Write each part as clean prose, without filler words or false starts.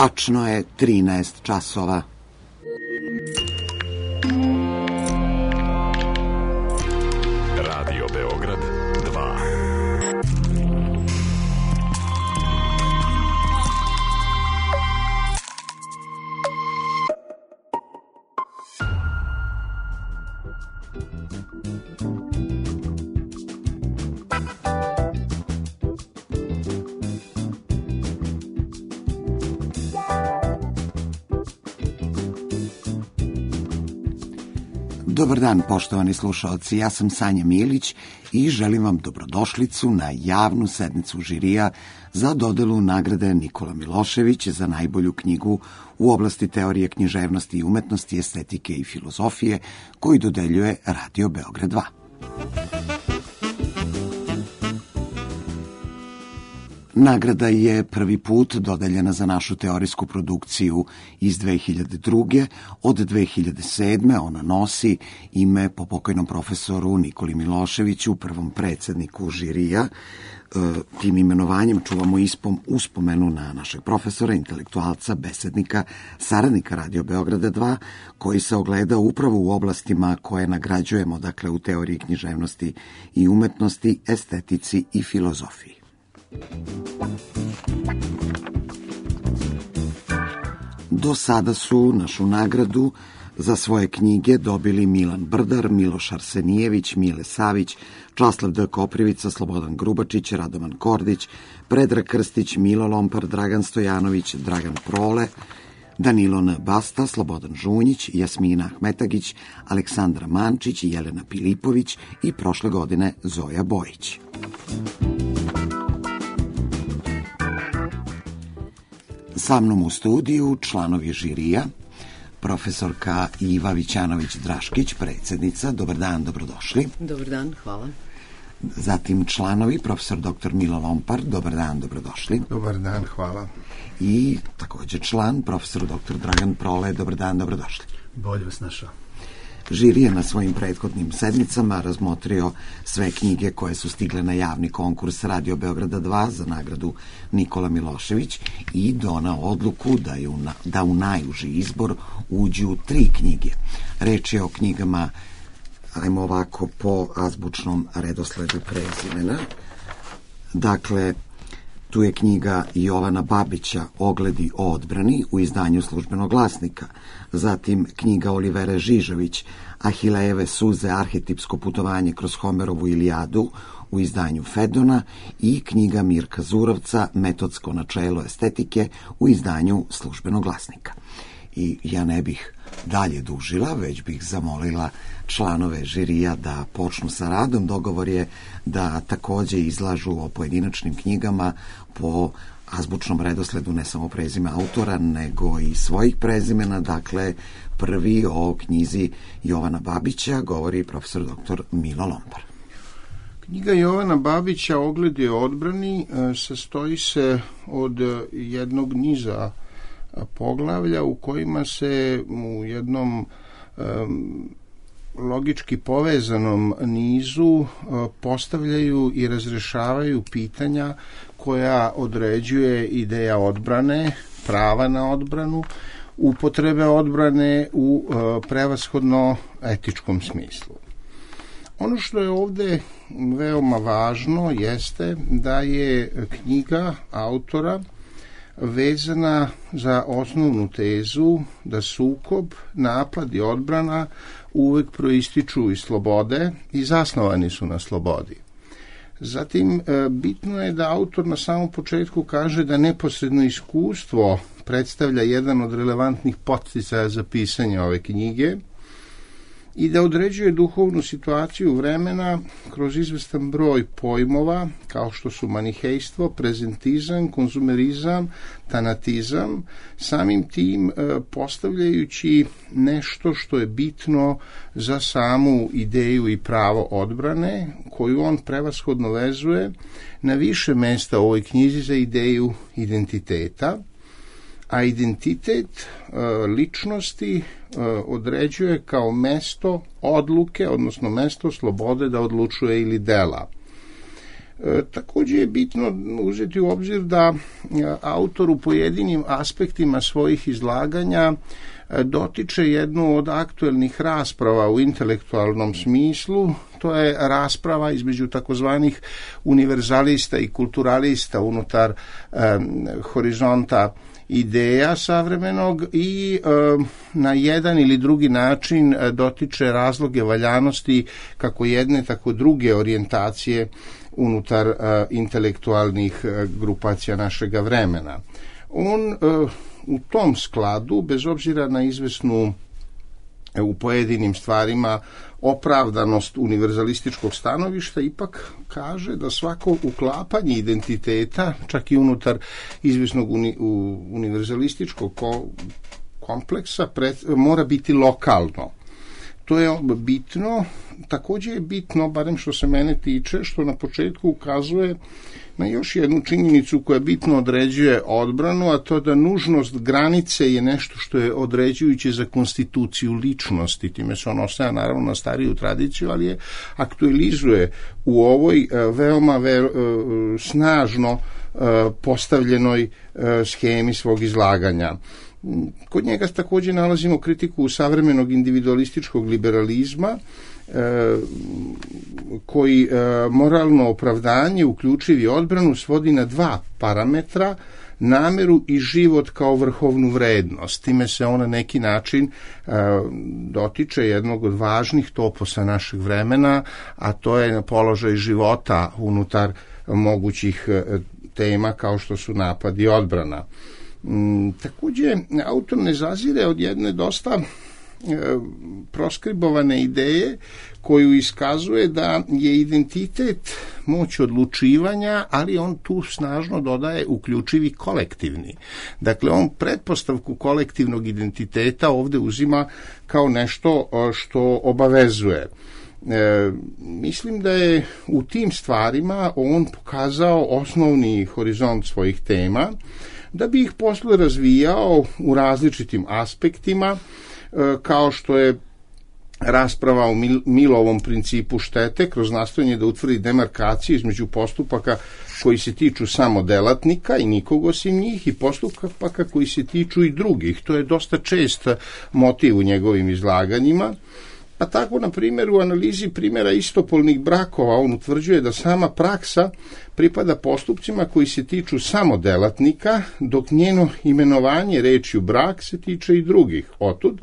Tačno je 13 časova. Radio Beograd 2. Dobar dan, poštovani slušalci, ja sam Sanja Milić i želim vam dobrodošlicu na javnu sednicu žirija za dodelu nagrade Nikola Milošević za najbolju knjigu u oblasti teorije književnosti i umetnosti, estetike i filozofije, koju dodeljuje Radio Beograd 2. Nagrada je prvi put dodeljena za našu teorijsku produkciju iz 2002. Od 2007. ona nosi ime po pokojnom profesoru Nikoli Miloševiću, prvom predsedniku žirija. Tim imenovanjem čuvamo uspomenu na našeg profesora, intelektualca, besednika, saradnika Radio Beograda 2, koji se ogleda upravo u oblastima koje nagrađujemo, dakle u teoriji književnosti i umetnosti, estetici i filozofiji. Do sada su našu nagradu za svoje knjige dobili Milan Brdar, Miloš Arsenijević, Mile Savić, Časlav D. Koprivica, Slobodan Grubačić, Radovan Kordić, Predrag Krstić, Milo Lompar, Dragan Stojanović, Dragan Prole, Danilo N. Basta, Slobodan Žunjić, Jasmina Ahmetagić, Aleksandra Mančić, Jelena Pilipović i prošle godine Zoja Bojić. Sa mnom u studiju članovi žirija, profesorka Iva Vićanović-Draškić, predsjednica. Dobar dan, dobrodošli. Dobar dan, hvala. Zatim članovi, profesor dr. Milo Lompar. Dobar dan, dobrodošli. Dobar dan, hvala. I također član, profesor dr. Dragan Prole. Dobar dan, dobrodošli. Bolje vas našao. Žiri je na svojim prethodnim sedmicama razmotrio sve knjige koje su stigle na javni konkurs Radio Beograda 2 za nagradu Nikola Milošević i donao odluku da u najuži izbor uđu 3 knjige. Reč je o knjigama, ajmo ovako, po azbučnom redosledu prezimena. Dakle, tu je knjiga Jovana Babića Ogledi o odbrani u izdanju Službenog glasnika, zatim knjiga Olivere Žižović Ahilejeve suze, arhetipsko putovanje kroz Homerovu Ilijadu u izdanju Fedona i knjiga Mirka Zurovca Metodsko načelo estetike u izdanju Službenog glasnika. I ja ne bih dalje dužila, već bih zamolila članove žirija da počnu sa radom. Dogovor je da također izlažu o pojedinačnim knjigama po azbučnom redosledu, ne samo prezime autora, nego i svojih prezimena. Dakle, prvi o knjizi Jovana Babića govori profesor dr. Milo Lompar. Knjiga Jovana Babića Ogledi o odbrani sastoji se od jednog niza poglavlja u kojima se u jednom logički povezanom nizu postavljaju i razrešavaju pitanja koja određuje ideja odbrane, prava na odbranu, upotrebe odbrane u prevashodno etičkom smislu. Ono što je ovdje veoma važno jeste da je knjiga autora vezana za osnovnu tezu da sukob, napad i odbrana uvek proističu iz slobode i zasnovani su na slobodi. Zatim, bitno je da autor na samom početku kaže da neposredno iskustvo predstavlja jedan od relevantnih podsticaja za pisanje ove knjige i da određuje duhovnu situaciju vremena kroz izvestan broj pojmova kao što su manihejstvo, prezentizam, konzumerizam, tanatizam, samim tim postavljajući nešto što je bitno za samu ideju i pravo odbrane, koju on prevashodno vezuje na više mesta u ovoj knjizi za ideju identiteta, a identitet ličnosti određuje kao mesto odluke, odnosno mesto slobode da odlučuje ili dela. Također je bitno uzeti u obzir da autor u pojedinim aspektima svojih izlaganja dotiče jednu od aktuelnih rasprava u intelektualnom smislu. To je rasprava između takozvanih univerzalista i kulturalista unutar horizonta ideja savremenog i na jedan ili drugi način dotiče razloge valjanosti kako jedne, tako druge orijentacije unutar intelektualnih grupacija našega vremena. On u tom skladu, bez obzira na izvesnu u pojedinim stvarima opravdanost univerzalističkog stanovišta, ipak kaže da svako uklapanje identiteta, čak i unutar izvesnog univerzalističkog kompleksa, mora biti lokalno. To je bitno. Također je bitno, barem što se mene tiče, što na početku ukazuje na još jednu činjenicu koja bitno određuje odbranu, a to da nužnost granice je nešto što je određujuće za konstituciju ličnosti. Time se on ostaje naravno na stariju tradiciju, ali je aktualizuje u ovoj veoma snažno postavljenoj schemi svog izlaganja. Kod njega također nalazimo kritiku savremenog individualističkog liberalizma, koji moralno opravdanje, uključivi odbranu, svodi na dva parametra: nameru i život kao vrhovnu vrednost. Time se on na neki način dotiče jednog od važnih toposa našeg vremena, a to je položaj života unutar mogućih tema kao što su napad i odbrana. Također, autor ne zazire od jedne dosta proskribovane ideje koju iskazuje da je identitet moć odlučivanja, ali on tu snažno dodaje uključivi kolektivni. Dakle, on pretpostavku kolektivnog identiteta ovdje uzima kao nešto što obavezuje. Mislim da je u tim stvarima on pokazao osnovni horizont svojih tema, da bi ih posle razvijao u različitim aspektima, kao što je rasprava o Millovom principu štete kroz nastojanje da utvrdi demarkaciju između postupaka koji se tiču samo delatnika i nikog osim njih i postupaka koji se tiču i drugih. To je dosta čest motiv u njegovim izlaganjima. Pa tako, na primjer, u analizi primjera istopolnih brakova on utvrđuje da sama praksa pripada postupcima koji se tiču samo delatnika, dok njeno imenovanje rečju brak se tiče i drugih. Otud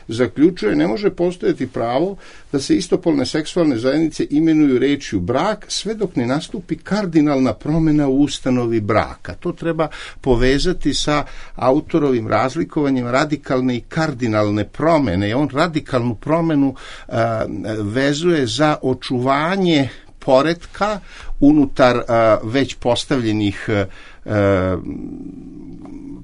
zaključuje, ne može postojati pravo da se istopolne seksualne zajednice imenuju rečju brak sve dok ne nastupi kardinalna promjena u ustanovi braka. To treba povezati sa autorovim razlikovanjem radikalne i kardinalne promjene. I on radikalnu promjenu vezuje za očuvanje poretka unutar već postavljenih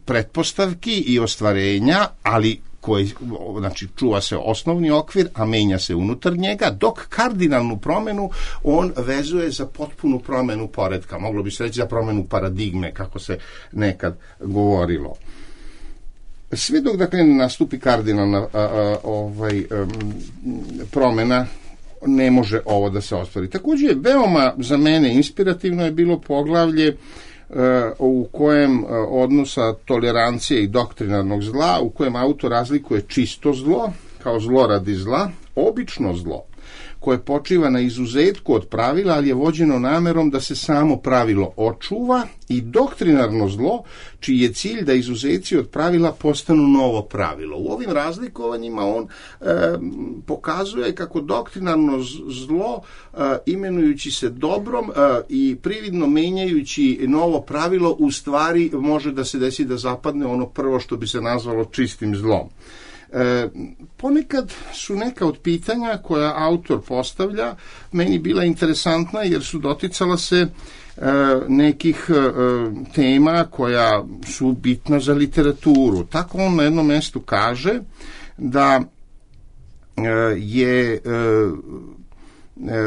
pretpostavki i ostvarenja, ali koji, znači, čuva se osnovni okvir, a menja se unutar njega, dok kardinalnu promjenu on vezuje za potpunu promjenu poretka. Moglo bi se reći za promjenu paradigme, kako se nekad govorilo. Sve dok, dakle, ne nastupi kardinalna promjena, ne može ovo da se ostvari. Također, veoma za mene inspirativno je bilo poglavlje u kojem odnosa tolerancije i doktrinarnog zla, u kojem autor razlikuje čisto zlo kao zlo radi zla, obično zlo koje počiva na izuzetku od pravila, ali je vođeno namerom da se samo pravilo očuva, i doktrinarno zlo čiji je cilj da izuzeci od pravila postanu novo pravilo. U ovim razlikovanjima on pokazuje kako doktrinarno zlo, imenujući se dobrom i prividno menjajući novo pravilo, u stvari može da se desi da zapadne ono prvo što bi se nazvalo čistim zlom. Ponekad su neka od pitanja koja autor postavlja meni bila interesantna, jer su doticala se nekih tema koja su bitna za literaturu. Tako on na jednom mjestu kaže da je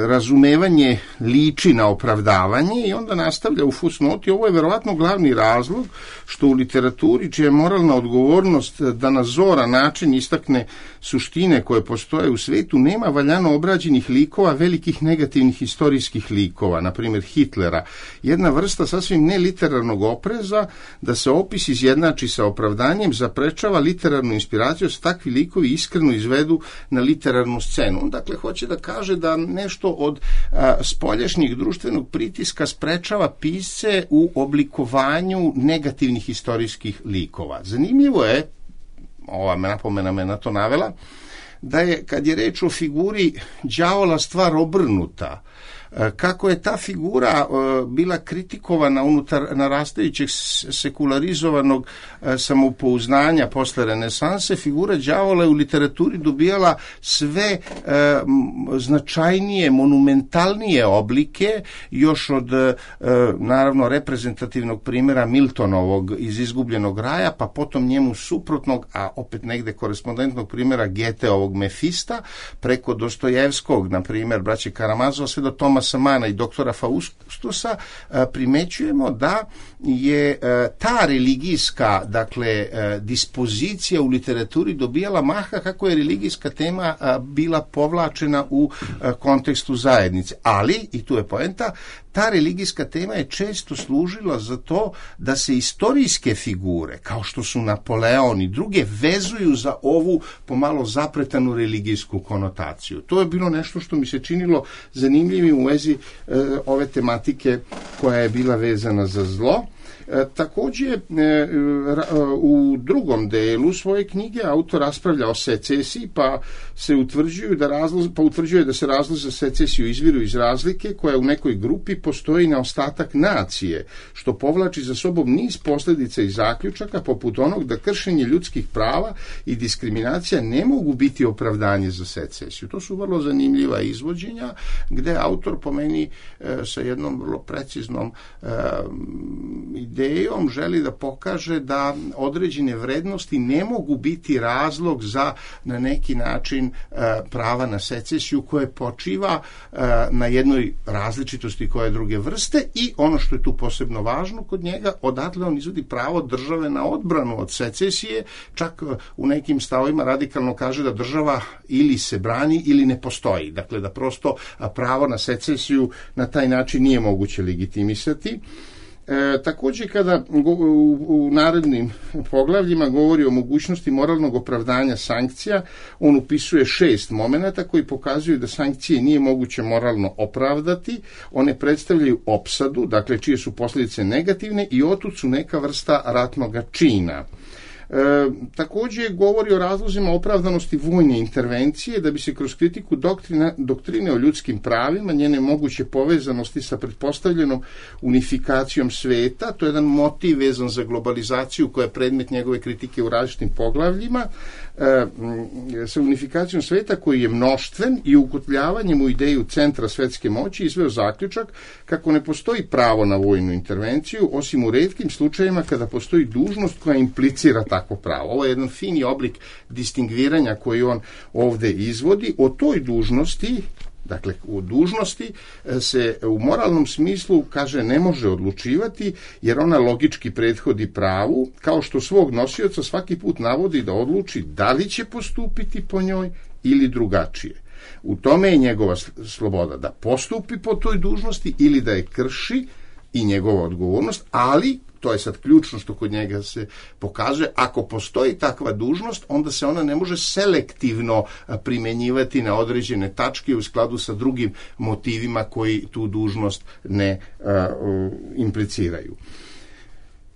razumevanje liči na opravdavanje i onda nastavlja u fusnoti. Ovo je verovatno glavni razlog što u literaturi, čija je moralna odgovornost da na zoran način istakne suštine koje postoje u svetu, nema valjano obrađenih likova, velikih negativnih istorijskih likova, na primjer Hitlera. Jedna vrsta sasvim neliterarnog opreza da se opis izjednači sa opravdanjem zaprečava literarnu inspiraciju, da se takvi likovi iskreno izvedu na literarnu scenu. On dakle hoće da kaže da nešto od spoljašnjeg društvenog pritiska sprečava pisce u oblikovanju negativnih istorijskih likova. Zanimljivo je, ova napomena me na to navela, da je, kad je reč o figuri đavola, stvar obrnuta. Kako je ta figura bila kritikovana unutar narastajućeg sekularizovanog samopouznanja posle renesanse, figura đavola je u literaturi dobijala sve značajnije, monumentalnije oblike, još od naravno reprezentativnog primjera Miltonovog iz Izgubljenog raja, pa potom njemu suprotnog, a opet negde korespondentnog primjera Goetheovog Mefista, preko Dostojevskog, na primjer braće Karamazova, sve do Tomasa Mana i doktora Faustusa, primećujemo da je ta religijska, dakle, dispozicija u literaturi dobijala maha kako je religijska tema bila povlačena u kontekstu zajednice. Ali, i tu je poenta, ta religijska tema je često služila za to da se istorijske figure, kao što su Napoleon i druge, vezuju za ovu pomalo zapretanu religijsku konotaciju. To je bilo nešto što mi se činilo zanimljivim u vezi ove tematike koja je bila vezana za zlo. Također, u drugom delu svoje knjige autor raspravlja o secesiji, pa utvrđuje da se razlozi za secesiju izviru iz razlike koja u nekoj grupi postoji na ostatak nacije, što povlači za sobom niz posljedica i zaključaka, poput onog da kršenje ljudskih prava i diskriminacija ne mogu biti opravdanje za secesiju. To su vrlo zanimljiva izvođenja, gde autor, po meni, sa jednom vrlo preciznom idejom želi da pokaže da određene vrednosti ne mogu biti razlog za, na neki način, prava na secesiju koje počiva na jednoj različitosti koje je druge vrste, i ono što je tu posebno važno kod njega, odatle on izvodi pravo države na odbranu od secesije, čak u nekim stavovima radikalno kaže da država ili se brani ili ne postoji. Dakle, da prosto pravo na secesiju na taj način nije moguće legitimisati. Također, kada u narednim poglavljima govori o mogućnosti moralnog opravdanja sankcija, on upisuje 6 momenata koji pokazuju da sankcije nije moguće moralno opravdati. One predstavljaju opsadu, dakle čije su posljedice negativne, i otud su neka vrsta ratnog čina. Također govori o razlozima opravdanosti vojne intervencije, da bi se kroz kritiku doktrine o ljudskim pravima, njene moguće povezanosti sa pretpostavljenom unifikacijom sveta, to je jedan motiv vezan za globalizaciju koja je predmet njegove kritike u različitim poglavljima, sa unifikacijom sveta koji je mnoštven i ukotljavanjem u ideju centra svetske moći izveo zaključak kako ne postoji pravo na vojnu intervenciju, osim u retkim slučajevima kada postoji dužnost koja implicira takvo pravo. Ovo je jedan fini oblik distingviranja koji on ovdje izvodi. O toj dužnosti, dakle, u dužnosti se u moralnom smislu, kaže, ne može odlučivati, jer ona logički prethodi pravu, kao što svog nosioca svaki put navodi da odluči da li će postupiti po njoj ili drugačije. U tome je njegova sloboda da postupi po toj dužnosti ili da je krši, i njegova odgovornost, ali to je sad ključno što kod njega se pokazuje, ako postoji takva dužnost, onda se ona ne može selektivno primjenjivati na određene tačke u skladu sa drugim motivima koji tu dužnost ne impliciraju.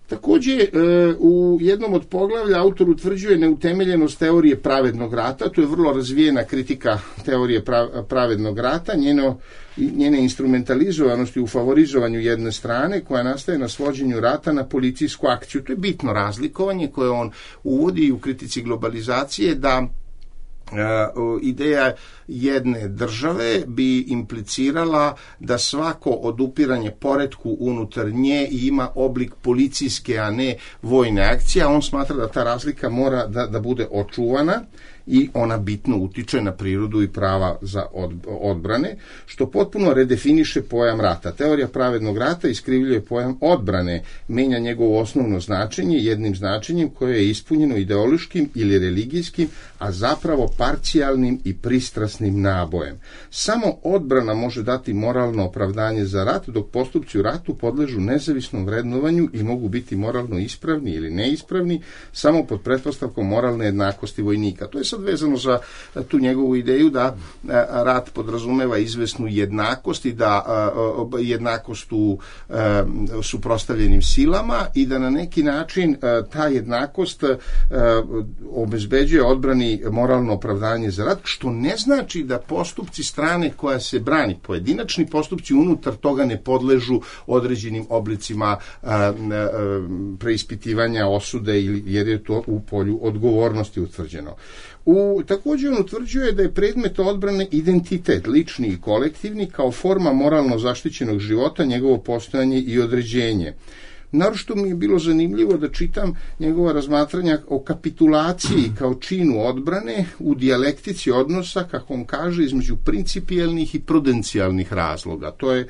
Također, u jednom od poglavlja autor utvrđuje neutemeljenost teorije pravednog rata. To je vrlo razvijena kritika teorije pravednog rata, njene instrumentalizovanosti u favorizovanju jedne strane, koja nastaje na svođenju rata na policijsku akciju. To je bitno razlikovanje koje on uvodi u kritici globalizacije, da Ideja jedne države bi implicirala da svako odupiranje poretku unutar nje ima oblik policijske, a ne vojne akcije. On smatra da ta razlika mora da bude očuvana i ona bitno utiče na prirodu i prava za odbrane, što potpuno redefiniše pojam rata. Teorija pravednog rata iskrivljuje pojam odbrane, menja njegovo osnovno značenje jednim značenjem koje je ispunjeno ideološkim ili religijskim, a zapravo parcijalnim i pristrasnim nabojem. Samo odbrana može dati moralno opravdanje za rat, dok postupci u ratu podležu nezavisnom vrednovanju i mogu biti moralno ispravni ili neispravni, samo pod pretpostavkom moralne jednakosti vojnika. To je sad vezano za tu njegovu ideju da rat podrazumeva izvesnu jednakost i da jednakost u suprotstavljenim silama i da na neki način ta jednakost obezbeđuje odbrani moralno opravdanje za rat, što ne znači da postupci strane koja se brani, pojedinačni postupci unutar toga ne podležu određenim oblicima preispitivanja osude, jer je to u polju odgovornosti utvrđeno. Također on utvrđuje da je predmet odbrane identitet, lični i kolektivni, kao forma moralno zaštićenog života, njegovo postojanje i određenje. Naročito mi je bilo zanimljivo da čitam njegova razmatranja o kapitulaciji kao činu odbrane u dijalektici odnosa, kako on kaže, između principijelnih i prudencijalnih razloga. To je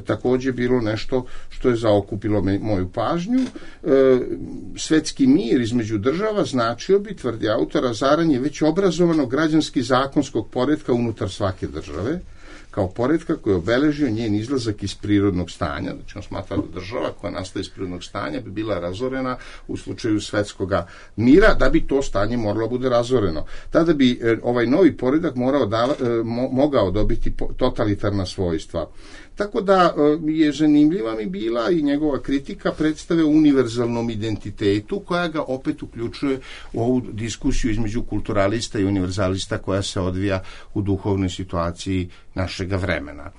također bilo nešto što je zaokupilo moju pažnju. Svetski mir između država značio bi, tvrdi autor, razaranje već obrazovanog građanski zakonskog poretka unutar svake države, kao poretka koji je obeležio njen izlazak iz prirodnog stanja. Znači on smatra da država koja nastaje iz prirodnog stanja bi bila razorena u slučaju svetskog mira, da bi to stanje moralo bude razoreno. Tada bi ovaj novi poredak mogao dobiti totalitarna svojstva. Tako da je zanimljiva mi bila i njegova kritika predstave o univerzalnom identitetu, koja ga opet uključuje u ovu diskusiju između kulturalista i univerzalista koja se odvija u duhovnoj situaciji našega vremena.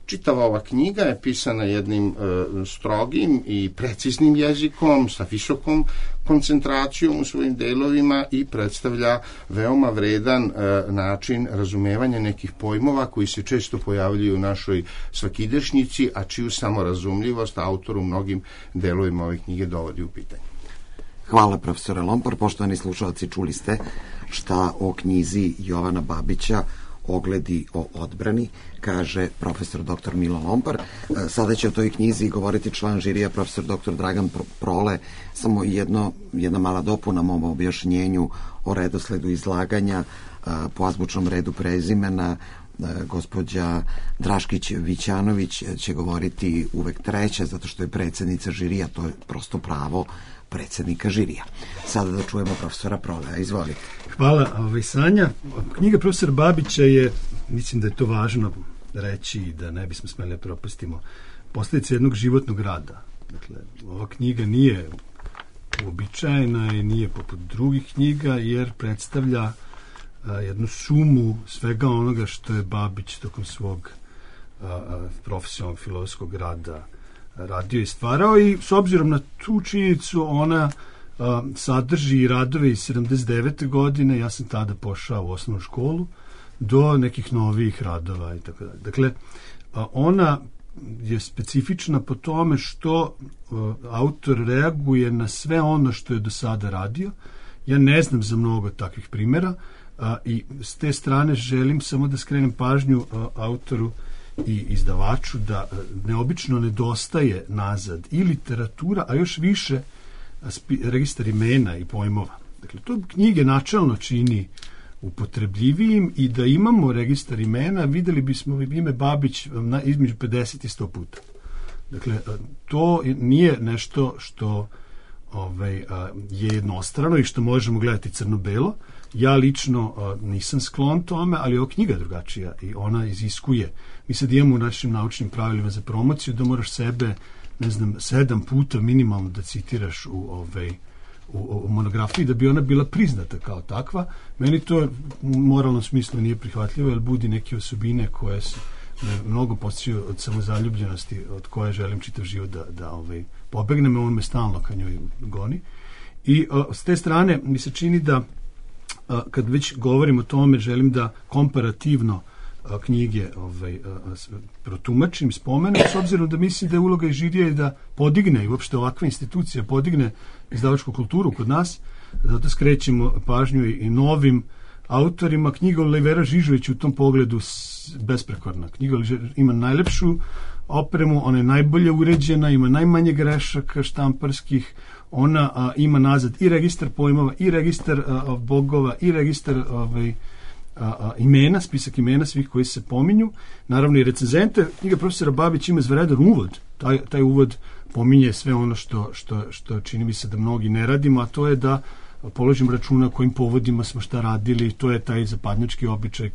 Čitava ova knjiga je pisana jednim strogim i preciznim jezikom, sa visokom koncentracijom u svojim delovima i predstavlja veoma vredan način razumevanja nekih pojmova koji se često pojavljuju u našoj svakidašnjici, a čiju samorazumljivost autor u mnogim delovima ove knjige dovodi u pitanje. Hvala, profesore Lompar. Poštovani slušalci, čuli ste šta o knjizi Jovana Babića Ogledi o odbrani kaže profesor dr. Milo Lompar. Sada će o toj knjizi govoriti član žirija profesor dr. Dragan Prole. Samo jedna mala dopuna mom objašnjenju o redosledu izlaganja po azbučnom redu prezimena. Gospođa Draškić-Vićanović će govoriti uvek treća, zato što je predsjednica žirija, to je prosto pravo predsjednika žirija. Sada da čujemo profesora Prolea, izvolite. Hvala, Sanja. Knjiga profesora Babića je, mislim da je to važno reći i da ne bismo smeli da propustimo, posljedica jednog životnog rada. Dakle, ova knjiga nije uobičajena i nije poput drugih knjiga, jer predstavlja jednu sumu svega onoga što je Babić tokom svog profesionalnog filozofskog rada radio i stvarao, i s obzirom na tu činjenicu ona sadrži radove iz 79. godine, ja sam tada pošao u osnovnu školu, do nekih novih radova i tako dalje. Dakle, ona je specifična po tome što autor reaguje na sve ono što je do sada radio. Ja ne znam za mnogo takvih primjera, i s te strane želim samo da skrenem pažnju autoru i izdavaču da neobično nedostaje nazad i literatura, a još više registar imena i pojmova. Dakle, to knjige načelno čini upotrebljivijim, i da imamo registar imena videli bismo ime Babić između 50 i 100 puta. Dakle, to nije nešto što je jednostrano i što možemo gledati crno-belo. Ja lično nisam sklon tome, ali ova knjiga je drugačija i ona iziskuje. Mi sad imamo u našim naučnim pravilima za promociju da moraš sebe, 7 puta minimalno da citiraš u monografiji da bi ona bila priznata kao takva. Meni to u moralnom smislu nije prihvatljivo, jer budi neke osobine koje se mnogo podsjećaju od samozaljubljenosti od koje želim čitav život da pobegnem, on me stalno ka njoj goni. I s te strane mi se čini da kad već govorim o tome, želim da komparativno knjige protumačim, spomenem, s obzirom da mislim da je uloga i žirije da podigne i uopšte ovakva institucija podigne izdavačku kulturu kod nas, zato skrećemo pažnju i novim autorima. Knjiga Olivera Žižović u tom pogledu besprekorna. Knjiga ima najlepšu opremu, ona je najbolje uređena, ima najmanje grešaka štamparskih, ona ima nazad i registar pojmova, i registar bogova, i registar imena, spisak imena svih koji se pominju, naravno i recenzente. Knjiga profesora Babića ima izvanredan uvod. Taj uvod pominje sve ono što čini mi se da mnogi ne radimo, a to je da položim računa kojim povodima smo šta radili. To je taj zapadnjački običaj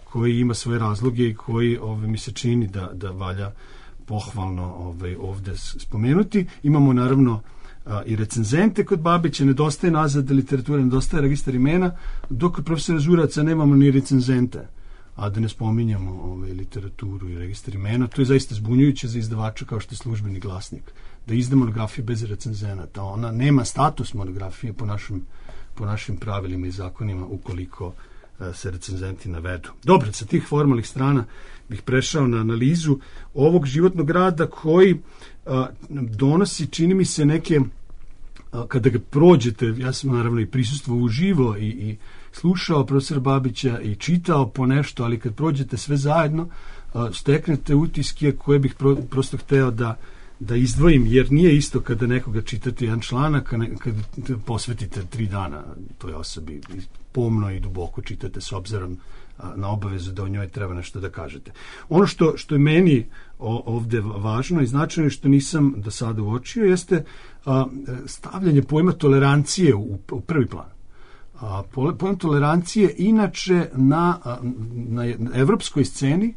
koji ima svoje razloge i koji mi se čini da valja pohvalno ovde spomenuti. Imamo naravno i recenzente kod Babića, nedostaje nazad literature, nedostaje registar imena, dok kod profesora Žuraca nemamo ni recenzente, a da ne spominjamo literaturu i registar imena. To je zaista zbunjujuće za izdavača kao što je Službeni glasnik, da izda monografiju bez recenzenata. Ona nema status monografije po našim pravilima i zakonima ukoliko se recenzenti navedu. Dobro, sa tih formalnih strana bih prešao na analizu ovog životnog rada koji donosi, čini mi se, neke, kada ga prođete, ja sam naravno i prisustvovao uživo i slušao profesora Babića i čitao po nešto, ali kad prođete sve zajedno, steknete utiske koje bih prosto hteo da izdvojim, jer nije isto kada nekoga čitate jedan članak, kada posvetite 3 dana toj osobi, pomno i duboko čitate s obzirom na obavezu da o njoj treba nešto da kažete. Ono što je meni ovde važno i značajno, što nisam do sada uočio, jeste stavljanje pojma tolerancije u prvi plan. Pojam tolerancije inače na evropskoj sceni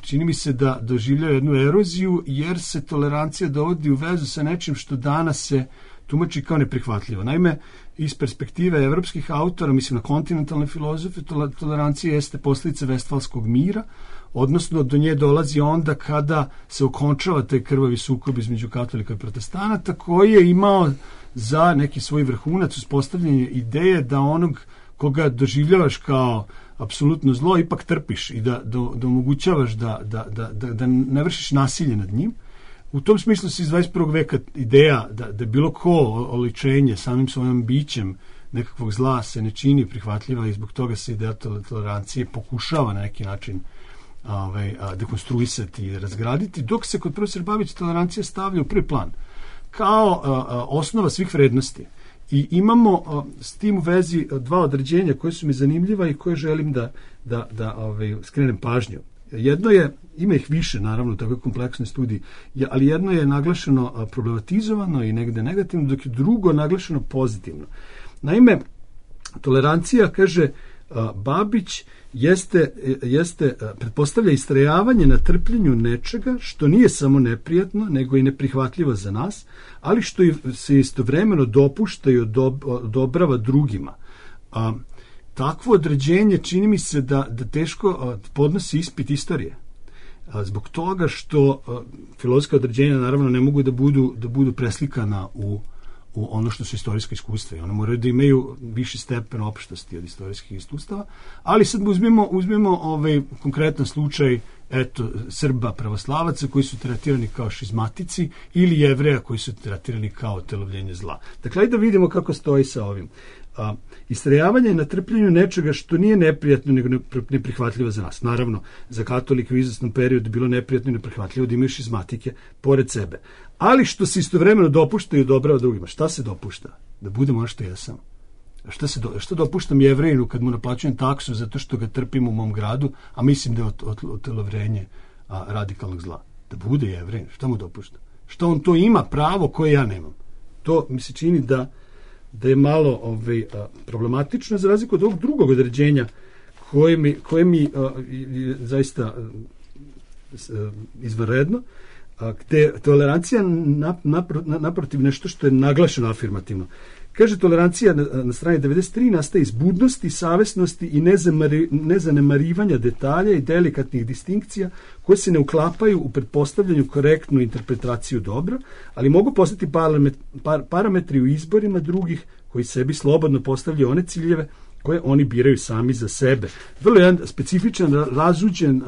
čini mi se da doživljaju jednu eroziju, jer se tolerancija dovodi u vezu sa nečim što danas se tumači kao neprihvatljivo. Naime, iz perspektive evropskih autora, mislim na kontinentalne filozofe, tolerancija jeste posljedica Vestfalskog mira, odnosno do nje dolazi onda kada se okončava taj krvavi sukob između katolika i protestanata, koji je imao za neki svoj vrhunac uspostavljanje ideje da onog koga doživljavaš kao apsolutno zlo, ipak trpiš i da omogućavaš da ne vršiš nasilje nad njim. U tom smislu se iz 21. veka ideja da bilo ko oličenje samim svojim bićem nekakvog zla se ne čini prihvatljiva i zbog toga se ideja tolerancije pokušava na neki način dekonstruisati i razgraditi, dok se kod profesora Babića tolerancija stavlja u prvi plan kao osnova svih vrednosti. I imamo s tim u vezi 2 određenja koje su mi zanimljiva i koje želim da skrenem pažnju. Jedno je, ima ih više naravno u takvoj kompleksnoj studiji, ali jedno je naglašeno problematizovano i negde negativno, dok je drugo naglašeno pozitivno. Naime, tolerancija, kaže Babić, pretpostavlja istrajavanje na trpljenju nečega što nije samo neprijatno, nego i neprihvatljivo za nas, ali što se istovremeno dopušta i odobrava drugima. Takvo određenje čini mi se da teško podnosi ispit istorije. Zbog toga što filozofska određenja naravno ne mogu da budu preslikana u ono što su istorijska iskustva i one moraju da imaju viši stepen opštosti od istorijskih iskustava, ali sad uzmemo konkretan slučaj Srba pravoslavaca koji su tretirani kao šizmatici ili Jevreja koji su tretirani kao otelovljenje zla. Dakle, ajde da vidimo kako stoji sa ovim. Istrajavanje na trpljenju nečega što nije neprijatno nego neprihvatljivo za nas. Naravno, za katolike u izvesnom periodu bilo neprijatno i neprihvatljivo da imaju šizmatike pored sebe. Ali što se istovremeno dopušta i odobrava drugima. Šta se dopušta? Da budemo ono što jesam. Što dopuštam Jevrejinu kad mu naplaćujem taksu zato što ga trpim u mom gradu, a mislim da je otelovljenje radikalnog zla? Da bude Jevrejin. Šta mu dopušta? Što on to ima pravo koje ja nemam? To mi se čini da je malo problematično, za razliku od ovog drugog određenja koje mi zaista izvanredno, gde tolerancija naprotiv nešto što je naglašeno afirmativno. Kaže, tolerancija na strani 93 nastaje iz budnosti, savesnosti i nezanemarivanja detalja i delikatnih distinkcija koje se ne uklapaju u pretpostavljanju korektnu interpretaciju dobra, ali mogu postati parametri u izborima drugih koji sebi slobodno postavljaju one ciljeve koje oni biraju sami za sebe. Vrlo jedan specifičan, razuđen,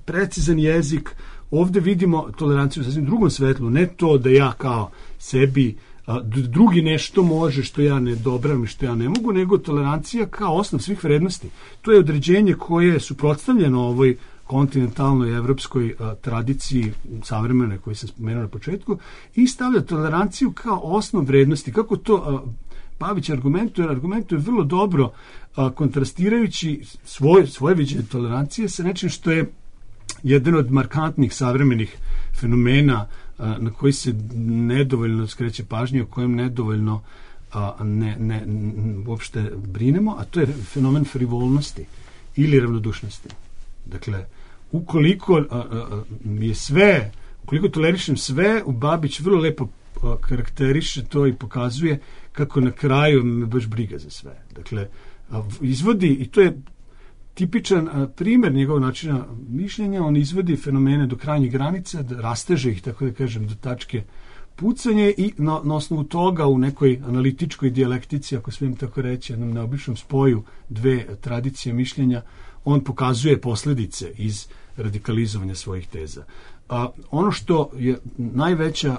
precizan jezik. Ovde vidimo toleranciju u sasvim drugom svetlu, ne to da ja kao sebi drugi nešto može što ja ne dobravam i što ja ne mogu, nego tolerancija kao osnov svih vrednosti. To je određenje koje je suprotstavljeno ovoj kontinentalnoj evropskoj tradiciji savremene koje sam spomenuo na početku i stavlja toleranciju kao osnov vrednosti. Kako to Babić argumentuje vrlo dobro kontrastirajući svoje viđenje tolerancije sa nečim što je jedan od markantnih savremenih fenomena na koji se nedovoljno skreće pažnje, o kojem nedovoljno uopšte brinemo, a to je fenomen frivolnosti ili ravnodušnosti. Dakle, ukoliko tolerišem sve, Babić vrlo lepo karakteriše to i pokazuje kako na kraju me baš briga za sve. Dakle, izvodi, i to je tipičan primjer njegovog načina mišljenja, on izvodi fenomene do krajnjih granica, da rasteže ih, tako da kažem, do tačke pucanje i na osnovu toga u nekoj analitičkoj dijalektici, ako smijem tako reći, jednom neobičnom spoju dve tradicije mišljenja, on pokazuje posljedice iz radikalizovanja svojih teza. Ono što je najveća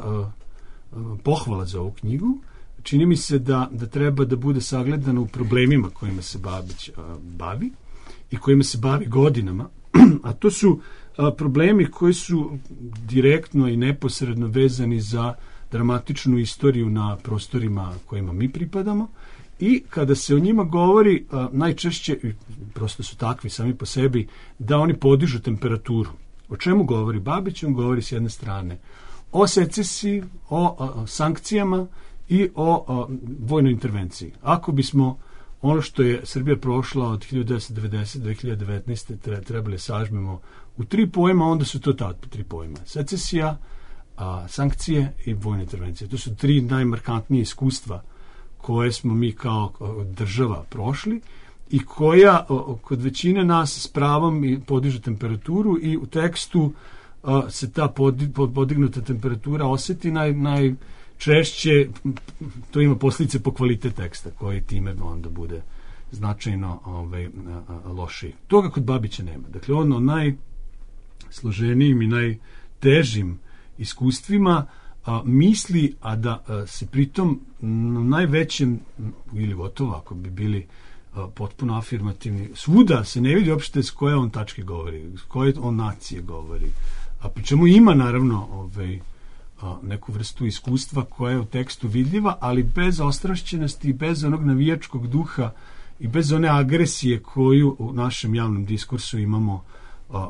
pohvala za ovu knjigu, čini mi se da treba da bude sagledano u problemima kojima se Babić bavi i kojima se bavi godinama, a to su problemi koji su direktno i neposredno vezani za dramatičnu istoriju na prostorima kojima mi pripadamo i kada se o njima govori, najčešće, prosto su takvi sami po sebi, da oni podižu temperaturu. O čemu govori Babić? On govori s jedne strane o secesiji, o sankcijama i o vojnoj intervenciji. Ako bismo ono što je Srbija prošla od 1990 do 2019. trebali sažmemo u 3 pojma, onda su to ta 3 pojma. Secesija, sankcije i vojne intervencije. To su 3 najmarkantnije iskustva koje smo mi kao država prošli i koja kod većine nas s pravom podiže temperaturu i u tekstu se ta podignuta temperatura osjeti najčešće, to ima posljedice po kvalitet teksta koji time onda bude značajno lošiji. Toga kod Babića nema. Dakle, on o najsloženijim i najtežim iskustvima misli, a da se pritom na najvećem, ili gotovo ako bi bili potpuno afirmativni, svuda se ne vidi uopšte s koje on tačke govori, s koje on nacije govori, a pri čemu ima naravno neku vrstu iskustva koja je u tekstu vidljiva, ali bez ostrašćenosti, bez onog navijačkog duha i bez one agresije koju u našem javnom diskursu imamo,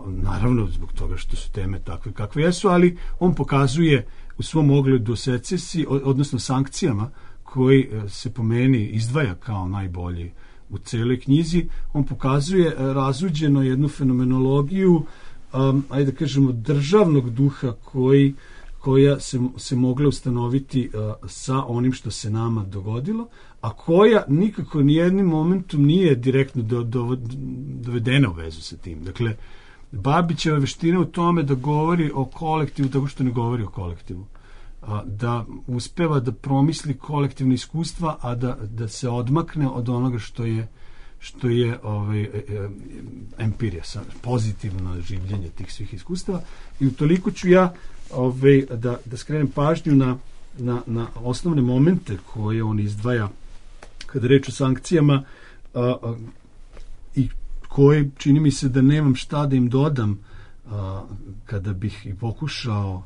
naravno zbog toga što su teme takve kakve jesu, ali on pokazuje u svom ogledu secesiji, odnosno sankcijama, koji se po meni izdvaja kao najbolji u celoj knjizi, on pokazuje razuđeno jednu fenomenologiju, ajde da kažemo, državnog duha koja se mogla ustanoviti sa onim što se nama dogodilo, a koja nikako nijednim momentom nije direktno dovedena u vezu sa tim. Dakle, Babićeva veština u tome da govori o kolektivu tako što ne govori o kolektivu. Da uspeva da promisli kolektivne iskustva, a da se odmakne od onoga što je empirija, pozitivno življenje tih svih iskustava. I utoliko ću ja da skrenem pažnju na osnovne momente koje on izdvaja kada reč o sankcijama i koje čini mi se da nemam šta da im dodam kada bih i pokušao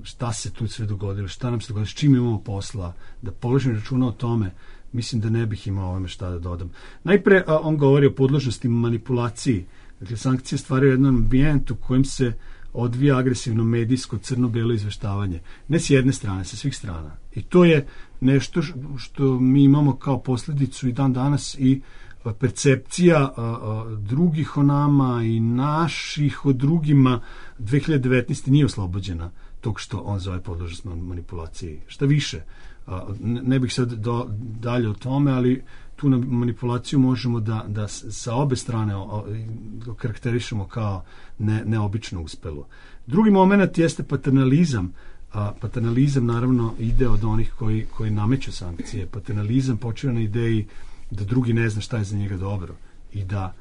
šta se tu sve dogodilo, šta nam se dogodilo, s čim imamo posla, da položim računa o tome, mislim da ne bih imao ovome šta da dodam. Najpre on govori o podložnosti manipulaciji. Dakle, sankcije stvaraju jedan ambijent u kojem se odvija agresivno medijsko crno-belo izveštavanje. Ne s jedne strane, sa svih strana. I to je nešto što mi imamo kao posljedicu i dan danas i percepcija drugih o nama i naših o drugima 2019. nije oslobođena tog što on zove podložnost manipulaciji. Šta više, ne bih sad dalje o tome, ali tu manipulaciju možemo da sa obe strane karakterišemo kao neobično uspelo. Drugi moment jeste paternalizam. Paternalizam naravno ide od onih koji nameću sankcije. Paternalizam počiva na ideji da drugi ne zna šta je za njega dobro i da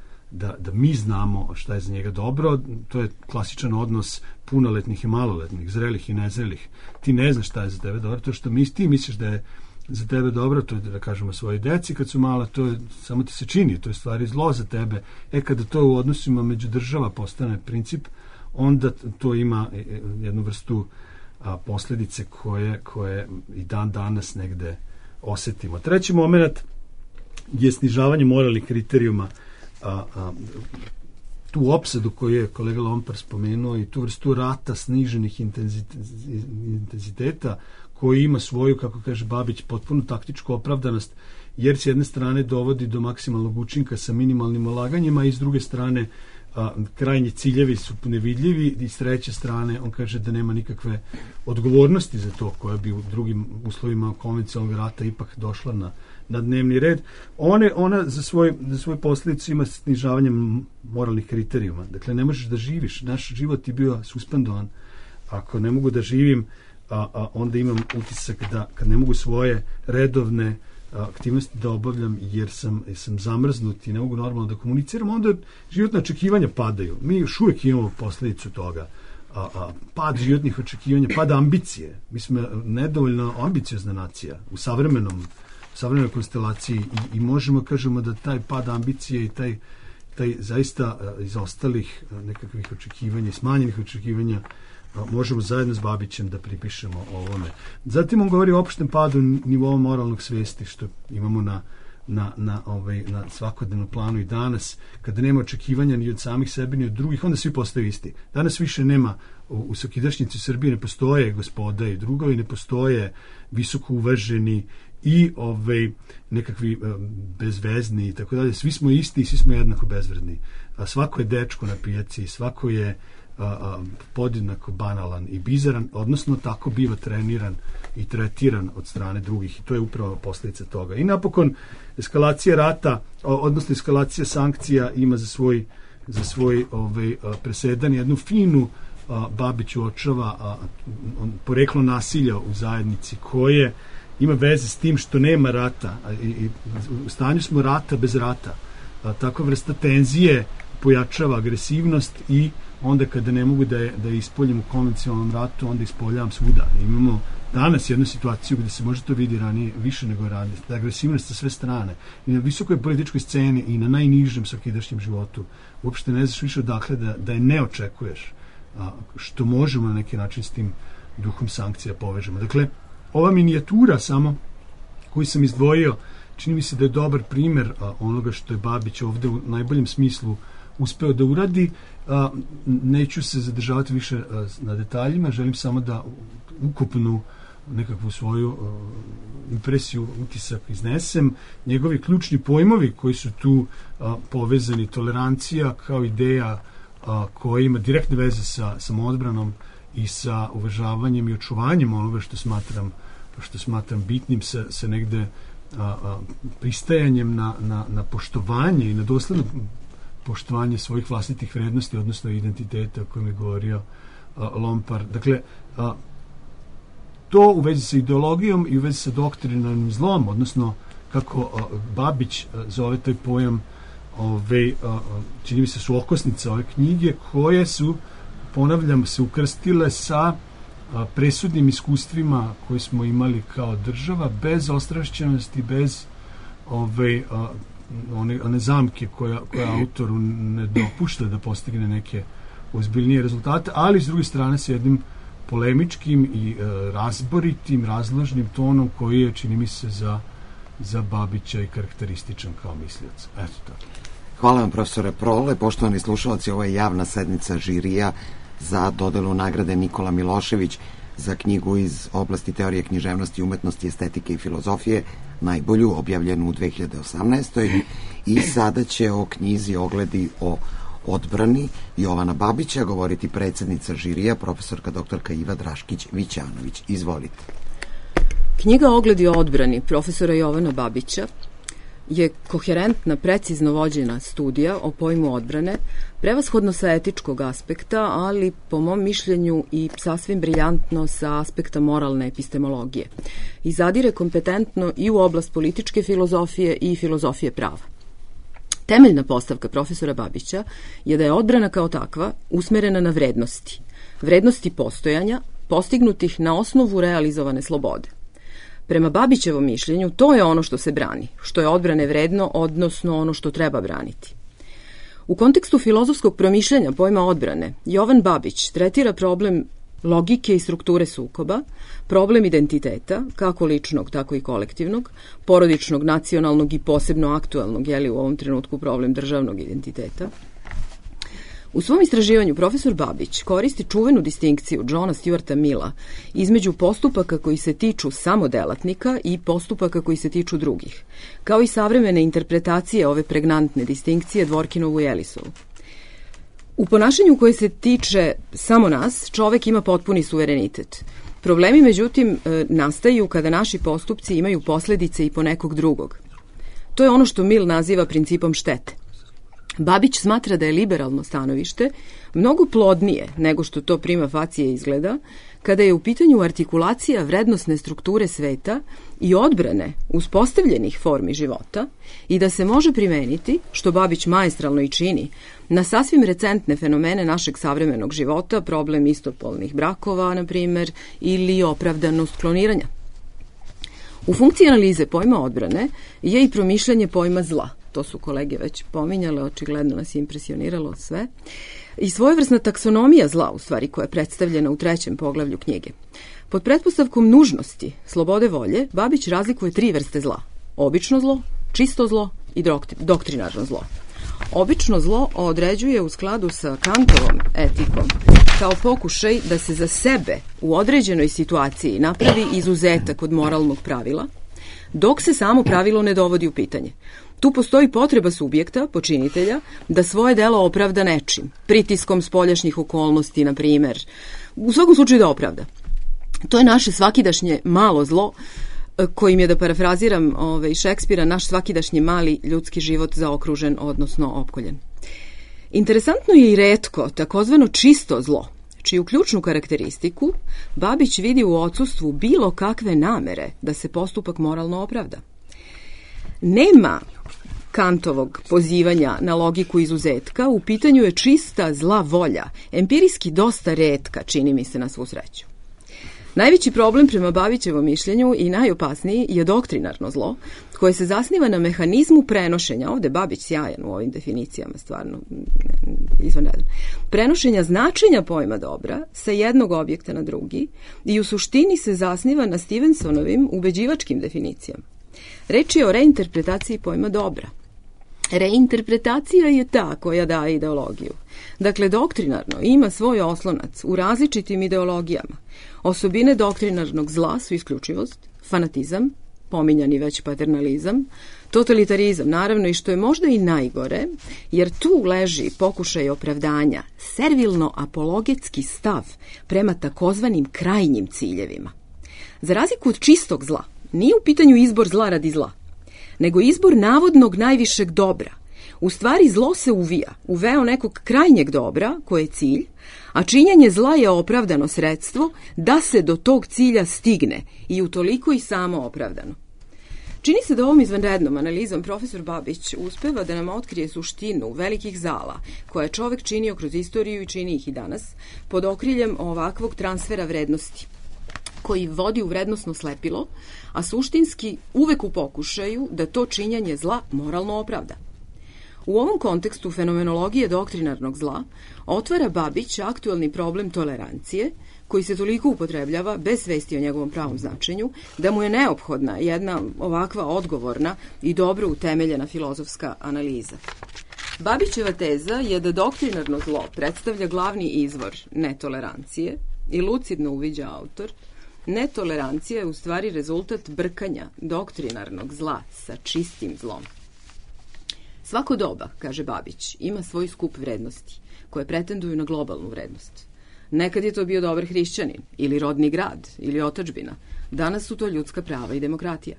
mi znamo šta je za njega dobro. To je klasičan odnos punoletnih i maloletnih, zrelih i nezrelih. Ti ne znaš šta je za tebe dobro, to što ti misliš da je za tebe dobro, to je da kažemo svojoj deci kad su mala, to je, samo ti se čini, to je stvari zlo za tebe. Kada to u odnosima među država postane princip, onda to ima jednu vrstu posljedice koje i dan danas negde osetimo. Treći moment je snižavanje moralnih kriterijuma, tu opsadu koju je kolega Lompar spomenuo i tu vrstu rata sniženih intenziteta koji ima svoju, kako kaže Babić, potpuno taktičku opravdanost, jer s jedne strane dovodi do maksimalnog učinka sa minimalnim ulaganjima i s druge strane krajnji ciljevi su nevidljivi i s treće strane on kaže da nema nikakve odgovornosti za to koja bi u drugim uslovima konvencionalnog rata ipak došla na dnevni red. Ona za svoj posljedicu ima snižavanje moralnih kriterijuma. Dakle, ne možeš da živiš. Naš život je bio suspendovan. Ako ne mogu da živim, onda imam utisak da kad ne mogu svoje redovne aktivnosti da obavljam jer sam zamrznut i ne mogu normalno da komuniciram, onda životne očekivanja padaju. Mi još uvijek imamo posljedicu toga. Pad životnih očekivanja, pad ambicije. Mi smo nedovoljno ambiciozna nacija u savremenoj konstelaciji i možemo kažemo da taj pad ambicije i taj zaista iz ostalih nekakvih očekivanja i smanjenih očekivanja možemo zajedno s Babićem da pripišemo ovome. Zatim on govori o opštem padu nivoa moralnog svesti što imamo na svakodnevnom planu i danas, kada nema očekivanja ni od samih sebe ni od drugih, onda svi postaju isti. Danas više nema, u svakidašnjici Srbije ne postoje gospoda i drugovi, ne postoje visoko uvaženi i nekakvi bezvezni i tako dalje. Svi smo isti i svi smo jednako bezvredni. Svako je dečko na pijaci, svako je podjednako banalan i bizaran, odnosno tako biva treniran i tretiran od strane drugih i to je upravo posljedica toga. I napokon eskalacija rata, odnosno eskalacija sankcija ima za svoj presedan jednu finu Babić uočava poreklo nasilja u zajednici koje ima veze s tim što nema rata i u stanju smo rata bez rata. Takva vrsta tenzije pojačava agresivnost i onda kada ne mogu da je ispoljim u konvencionalnom ratu, onda ispoljavam svuda. Imamo danas jednu situaciju gdje se može to vidi ranije, više nego ranije, da agresivnost sa sve strane i na visokoj političkoj sceni i na najnižem svakidašnjem životu uopšte ne znaš više odakle da je ne očekuješ, što možemo na neki način s tim duhom sankcija povežemo. Dakle, ova minijatura samo koju sam izdvojio, čini mi se da je dobar primjer onoga što je Babić ovde u najboljem smislu uspeo da uradi. Neću se zadržavati više na detaljima, želim samo da ukupnu nekakvu svoju impresiju, utisak iznesem. Njegovi ključni pojmovi koji su tu povezani, tolerancija kao ideja koja ima direktne veze sa samoodbranom i sa uvažavanjem i očuvanjem onoga što smatram bitnim sa negde pristajanjem na poštovanje i na dosledno poštovanje svojih vlastitih vrednosti, odnosno identiteta o kojem je govorio Lompar. Dakle, to u vezi sa ideologijom i u vezi sa doktrinarnim zlom, odnosno kako Babić zove taj pojam, čini mi se su okosnice ove knjige koje su, ponavljam, se ukrstile sa presudnim iskustvima koje smo imali kao država, bez ostrašćenosti, bez one zamke koja autoru ne dopušta da postigne neke ozbiljnije rezultate, ali s druge strane sa jednim polemičkim i razboritim, razložnim tonom koji je, čini mi se, za Babića i karakterističan kao mislioc. Eto tako. Hvala vam, profesore Prole. Poštovani slušalci, ovo je javna sednica žirija za dodelu nagrade Nikola Milošević za knjigu iz oblasti teorije književnosti, umetnosti, estetike i filozofije, najbolju, objavljenu u 2018. I sada će o knjizi Ogledi o odbrani Jovana Babića govoriti predsjednica žirija, profesorka doktorka Iva Draškić-Vićanović. Izvolite. Knjiga Ogledi o odbrani profesora Jovana Babića je koherentna, precizno vođena studija o pojmu odbrane, prevashodno sa etičkog aspekta, ali po mom mišljenju i sasvim briljantno sa aspekta moralne epistemologije. I zadire kompetentno i u oblast političke filozofije i filozofije prava. Temeljna postavka profesora Babića je da je odbrana kao takva usmerena na vrednosti. Vrednosti postojanja, postignutih na osnovu realizovane slobode. Prema Babićevom mišljenju, to je ono što se brani, što je odbrane vredno, odnosno ono što treba braniti. U kontekstu filozofskog promišljanja pojma odbrane, Jovan Babić tretira problem logike i strukture sukoba, problem identiteta, kako ličnog, tako i kolektivnog, porodičnog, nacionalnog i posebno aktualnog, u ovom trenutku problem državnog identiteta. U svom istraživanju profesor Babić koristi čuvenu distinkciju Johna Stuarta Milla između postupaka koji se tiču samo delatnika i postupaka koji se tiču drugih, kao i savremene interpretacije ove pregnantne distinkcije Dworkinovu i Ellisovu. U ponašanju koje se tiče samo nas, čovek ima potpuni suverenitet. Problemi, međutim, nastaju kada naši postupci imaju posledice i po nekog drugog. To je ono što Mill naziva principom štete. Babić smatra da je liberalno stanovište mnogo plodnije nego što to prima facie izgleda, kada je u pitanju artikulacija vrednosne strukture sveta i odbrane uspostavljenih formi života i da se može primeniti, što Babić maestralno i čini, na sasvim recentne fenomene našeg savremenog života, problem istopolnih brakova, na primer, ili opravdanost kloniranja. U funkciji analize pojma odbrane je i promišljanje pojma zla. To su kolege već pominjale, očigledno nas je impresioniralo sve. I svojevrsna taksonomija zla, u stvari, koja je predstavljena u 3. poglavlju knjige. Pod pretpostavkom nužnosti, slobode volje, Babić razlikuje 3 vrste zla. Obično zlo, čisto zlo i doktrinarno zlo. Obično zlo određuje u skladu sa Kantovom etikom kao pokušaj da se za sebe u određenoj situaciji napravi izuzetak od moralnog pravila, dok se samo pravilo ne dovodi u pitanje. Tu postoji potreba subjekta, počinitelja, da svoje delo opravda nečim, pritiskom spoljašnjih okolnosti, na primer, u svakom slučaju da opravda. To je naše svakidašnje malo zlo, kojim je, da parafraziram Šekspira, naš svakidašnji mali ljudski život zaokružen, odnosno opkoljen. Interesantno je i retko takozvano čisto zlo, čiju ključnu karakteristiku Babić vidi u odsustvu bilo kakve namere da se postupak moralno opravda. Nema Kantovog pozivanja na logiku izuzetka, u pitanju je čista zla volja, empirijski dosta retka, čini mi se, na svu sreću. Najveći problem prema Babićevom mišljenju i najopasniji je doktrinarno zlo, koje se zasniva na mehanizmu prenošenja, ovde Babić sjajan u ovim definicijama, stvarno izvanredan, prenošenja značenja pojma dobra sa jednog objekta na drugi i u suštini se zasniva na Stevensonovim ubeđivačkim definicijama. Reč je o reinterpretaciji pojma dobra. Reinterpretacija je ta koja daje ideologiju. Dakle, doktrinarno ima svoj oslonac u različitim ideologijama. Osobine doktrinarnog zla su isključivost, fanatizam, pominjani već paternalizam, totalitarizam, naravno, i što je možda i najgore, jer tu leži pokušaj opravdanja, servilno-apologetski stav prema takozvanim krajnjim ciljevima. Za razliku od čistog zla, nije u pitanju izbor zla radi zla, nego izbor navodnog najvišeg dobra. U stvari zlo se uvija u veo nekog krajnjeg dobra, koje je cilj, a činjenje zla je opravdano sredstvo da se do tog cilja stigne i utoliko i samo opravdano. Čini se da ovom izvanrednom analizom profesor Babić uspeva da nam otkrije suštinu velikih zala koje je čovek činio kroz istoriju i čini ih i danas pod okriljem ovakvog transfera vrednosti, koji vodi u vrednosno slepilo, a suštinski uvek u pokušaju da to činjenje zla moralno opravda. U ovom kontekstu fenomenologije doktrinarnog zla otvara Babić aktualni problem tolerancije, koji se toliko upotrebljava bez svesti o njegovom pravom značenju, da mu je neophodna jedna ovakva odgovorna i dobro utemeljena filozofska analiza. Babićeva teza je da doktrinarno zlo predstavlja glavni izvor netolerancije i lucidno uviđa autor, netolerancija je u stvari rezultat brkanja doktrinarnog zla sa čistim zlom. Svako doba, kaže Babić, ima svoj skup vrednosti, koje pretenduju na globalnu vrednost. Nekad je to bio dobar hrišćanin, ili rodni grad, ili otadžbina. Danas su to ljudska prava i demokratija.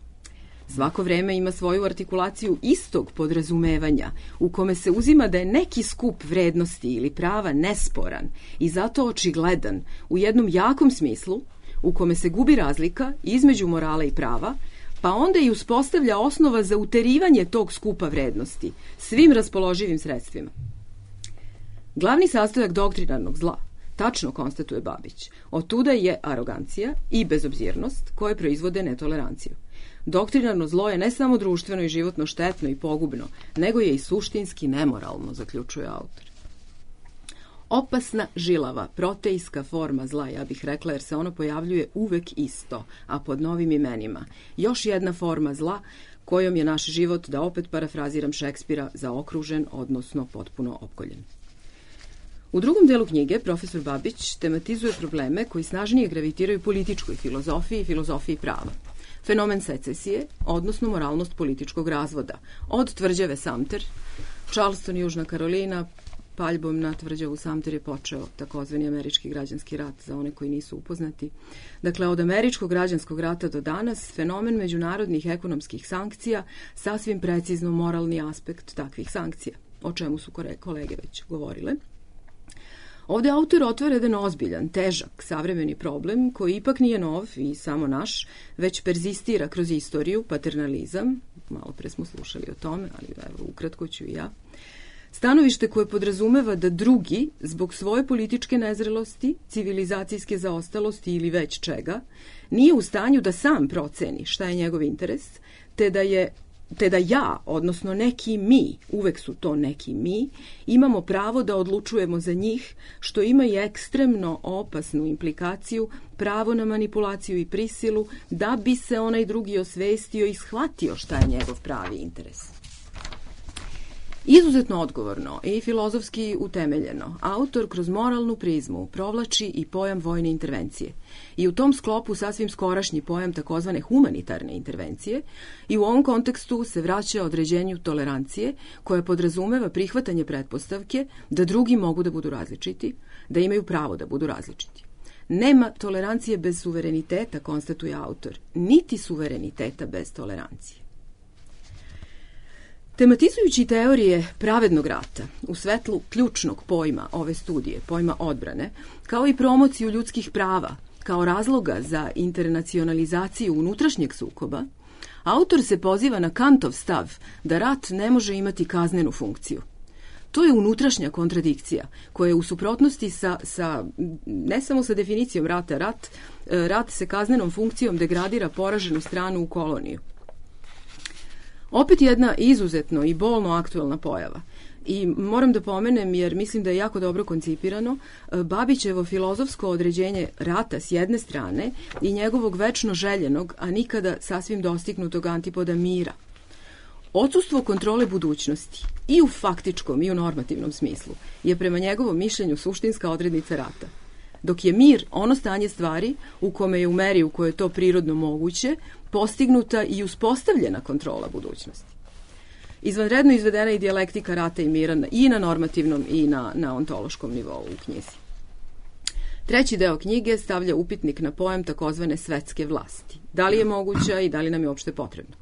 Svako vreme ima svoju artikulaciju istog podrazumevanja u kome se uzima da je neki skup vrednosti ili prava nesporan i zato očigledan u jednom jakom smislu u kome se gubi razlika između morala i prava, pa onda i uspostavlja osnova za uterivanje tog skupa vrednosti svim raspoloživim sredstvima. Glavni sastojak doktrinarnog zla, tačno konstatuje Babić, otuda je arogancija i bezobzirnost koje proizvode netoleranciju. Doktrinarno zlo je ne samo društveno i životno štetno i pogubno, nego je i suštinski nemoralno, zaključuje autor. Opasna, žilava, protejska forma zla, ja bih rekla, jer se ono pojavljuje uvek isto, a pod novim imenima. Još jedna forma zla kojom je naš život, da opet parafraziram Šekspira, zaokružen, odnosno potpuno opkoljen. U drugom delu knjige profesor Babić tematizuje probleme koji snažnije gravitiraju političkoj filozofiji i filozofiji prava. Fenomen secesije, odnosno moralnost političkog razvoda. Od tvrđave Sumter, Charleston, Južna Karolina, paljbom na tvrđavu Sumter je počeo takozvani američki građanski rat, za one koji nisu upoznati. Dakle, od američkog građanskog rata do danas, fenomen međunarodnih ekonomskih sankcija, sasvim precizno moralni aspekt takvih sankcija, o čemu su kolege već govorile. Ovde autor otvara jedan ozbiljan, težak, savremeni problem koji ipak nije nov i samo naš, već perzistira kroz istoriju, paternalizam, malo pre smo slušali o tome, ali evo, ukratko ću i ja. Stanovište koje podrazumeva da drugi, zbog svoje političke nezrelosti, civilizacijske zaostalosti ili već čega, nije u stanju da sam proceni šta je njegov interes, te da ja, odnosno neki mi, uvek su to neki mi, imamo pravo da odlučujemo za njih, što ima i ekstremno opasnu implikaciju, pravo na manipulaciju i prisilu, da bi se onaj drugi osvestio i shvatio šta je njegov pravi interes. Izuzetno odgovorno i filozofski utemeljeno, autor kroz moralnu prizmu provlači i pojam vojne intervencije. I u tom sklopu sasvim skorašnji pojam takozvane humanitarne intervencije i u ovom kontekstu se vraća određenju tolerancije koja podrazumeva prihvatanje pretpostavke da drugi mogu da budu različiti, da imaju pravo da budu različiti. Nema tolerancije bez suvereniteta, konstatuje autor, niti suvereniteta bez tolerancije. Tematizujući teorije pravednog rata u svetlu ključnog pojma ove studije, pojma odbrane, kao i promociju ljudskih prava kao razloga za internacionalizaciju unutrašnjeg sukoba, autor se poziva na Kantov stav da rat ne može imati kaznenu funkciju. To je unutrašnja kontradikcija koja je u suprotnosti ne samo sa definicijom rata. Rat se kaznenom funkcijom degradira poraženu stranu u koloniju. Opet jedna izuzetno i bolno aktuelna pojava. I moram da pomenem, jer mislim da je jako dobro koncipirano, Babićevo filozofsko određenje rata s jedne strane i njegovog večno željenog, a nikada sasvim dostignutog antipoda mira. Odsustvo kontrole budućnosti i u faktičkom i u normativnom smislu je prema njegovom mišljenju suštinska odrednica rata. Dok je mir ono stanje stvari u kome je u meri u kojoj je to prirodno moguće postignuta i uspostavljena kontrola budućnosti. Izvanredno izvedena i dijalektika rata i mira i na normativnom i na ontološkom nivou u knjizi. Treći deo knjige stavlja upitnik na pojam takozvane svetske vlasti. Da li je moguća i da li nam je uopšte potrebno?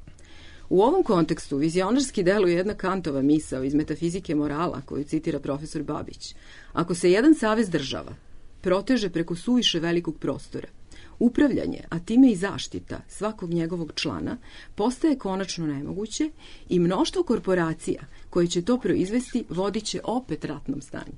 U ovom kontekstu vizionarski deluje jedna Kantova misao iz metafizike morala koju citira profesor Babić. Ako se jedan savez država proteže preko suviše velikog prostora, upravljanje, a time i zaštita svakog njegovog člana postaje konačno nemoguće i mnoštvo korporacija koje će to proizvesti vodit će opet ratnom stanju.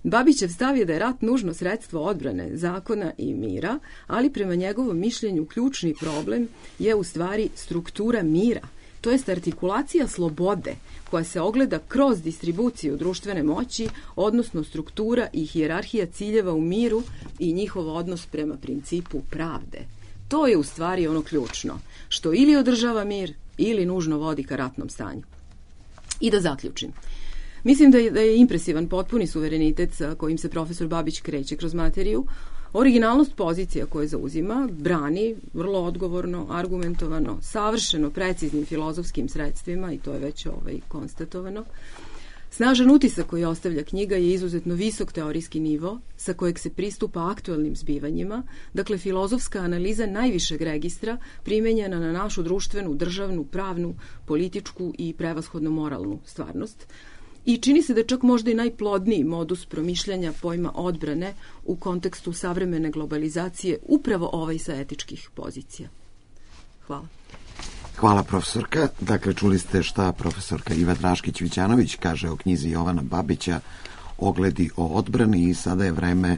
Babićev stav je da je rat nužno sredstvo odbrane, zakona i mira, ali prema njegovom mišljenju ključni problem je u stvari struktura mira, to jest artikulacija slobode koja se ogleda kroz distribuciju društvene moći, odnosno struktura i hijerarhija ciljeva u miru i njihov odnos prema principu pravde. To je u stvari ono ključno, što ili održava mir ili nužno vodi ka ratnom stanju. I da zaključim. Mislim da je impresivan potpuni suverenitet sa kojim se profesor Babić kreće kroz materiju. Originalnost pozicija koje zauzima brani vrlo odgovorno, argumentovano, savršeno preciznim filozofskim sredstvima i to je već konstatovano. Snažan utisak koji ostavlja knjiga je izuzetno visok teorijski nivo sa kojeg se pristupa aktuelnim zbivanjima, dakle filozofska analiza najvišeg registra primenjena na našu društvenu, državnu, pravnu, političku i prevashodno moralnu stvarnost. I čini se da je čak možda i najplodniji modus promišljanja pojma odbrane u kontekstu savremene globalizacije upravo ovaj sa etičkih pozicija. Hvala. Hvala, profesorka. Dakle, čuli ste šta profesorka Iva Draškić-Vićanović kaže o knjizi Jovana Babića Ogledi o odbrani i sada je vreme,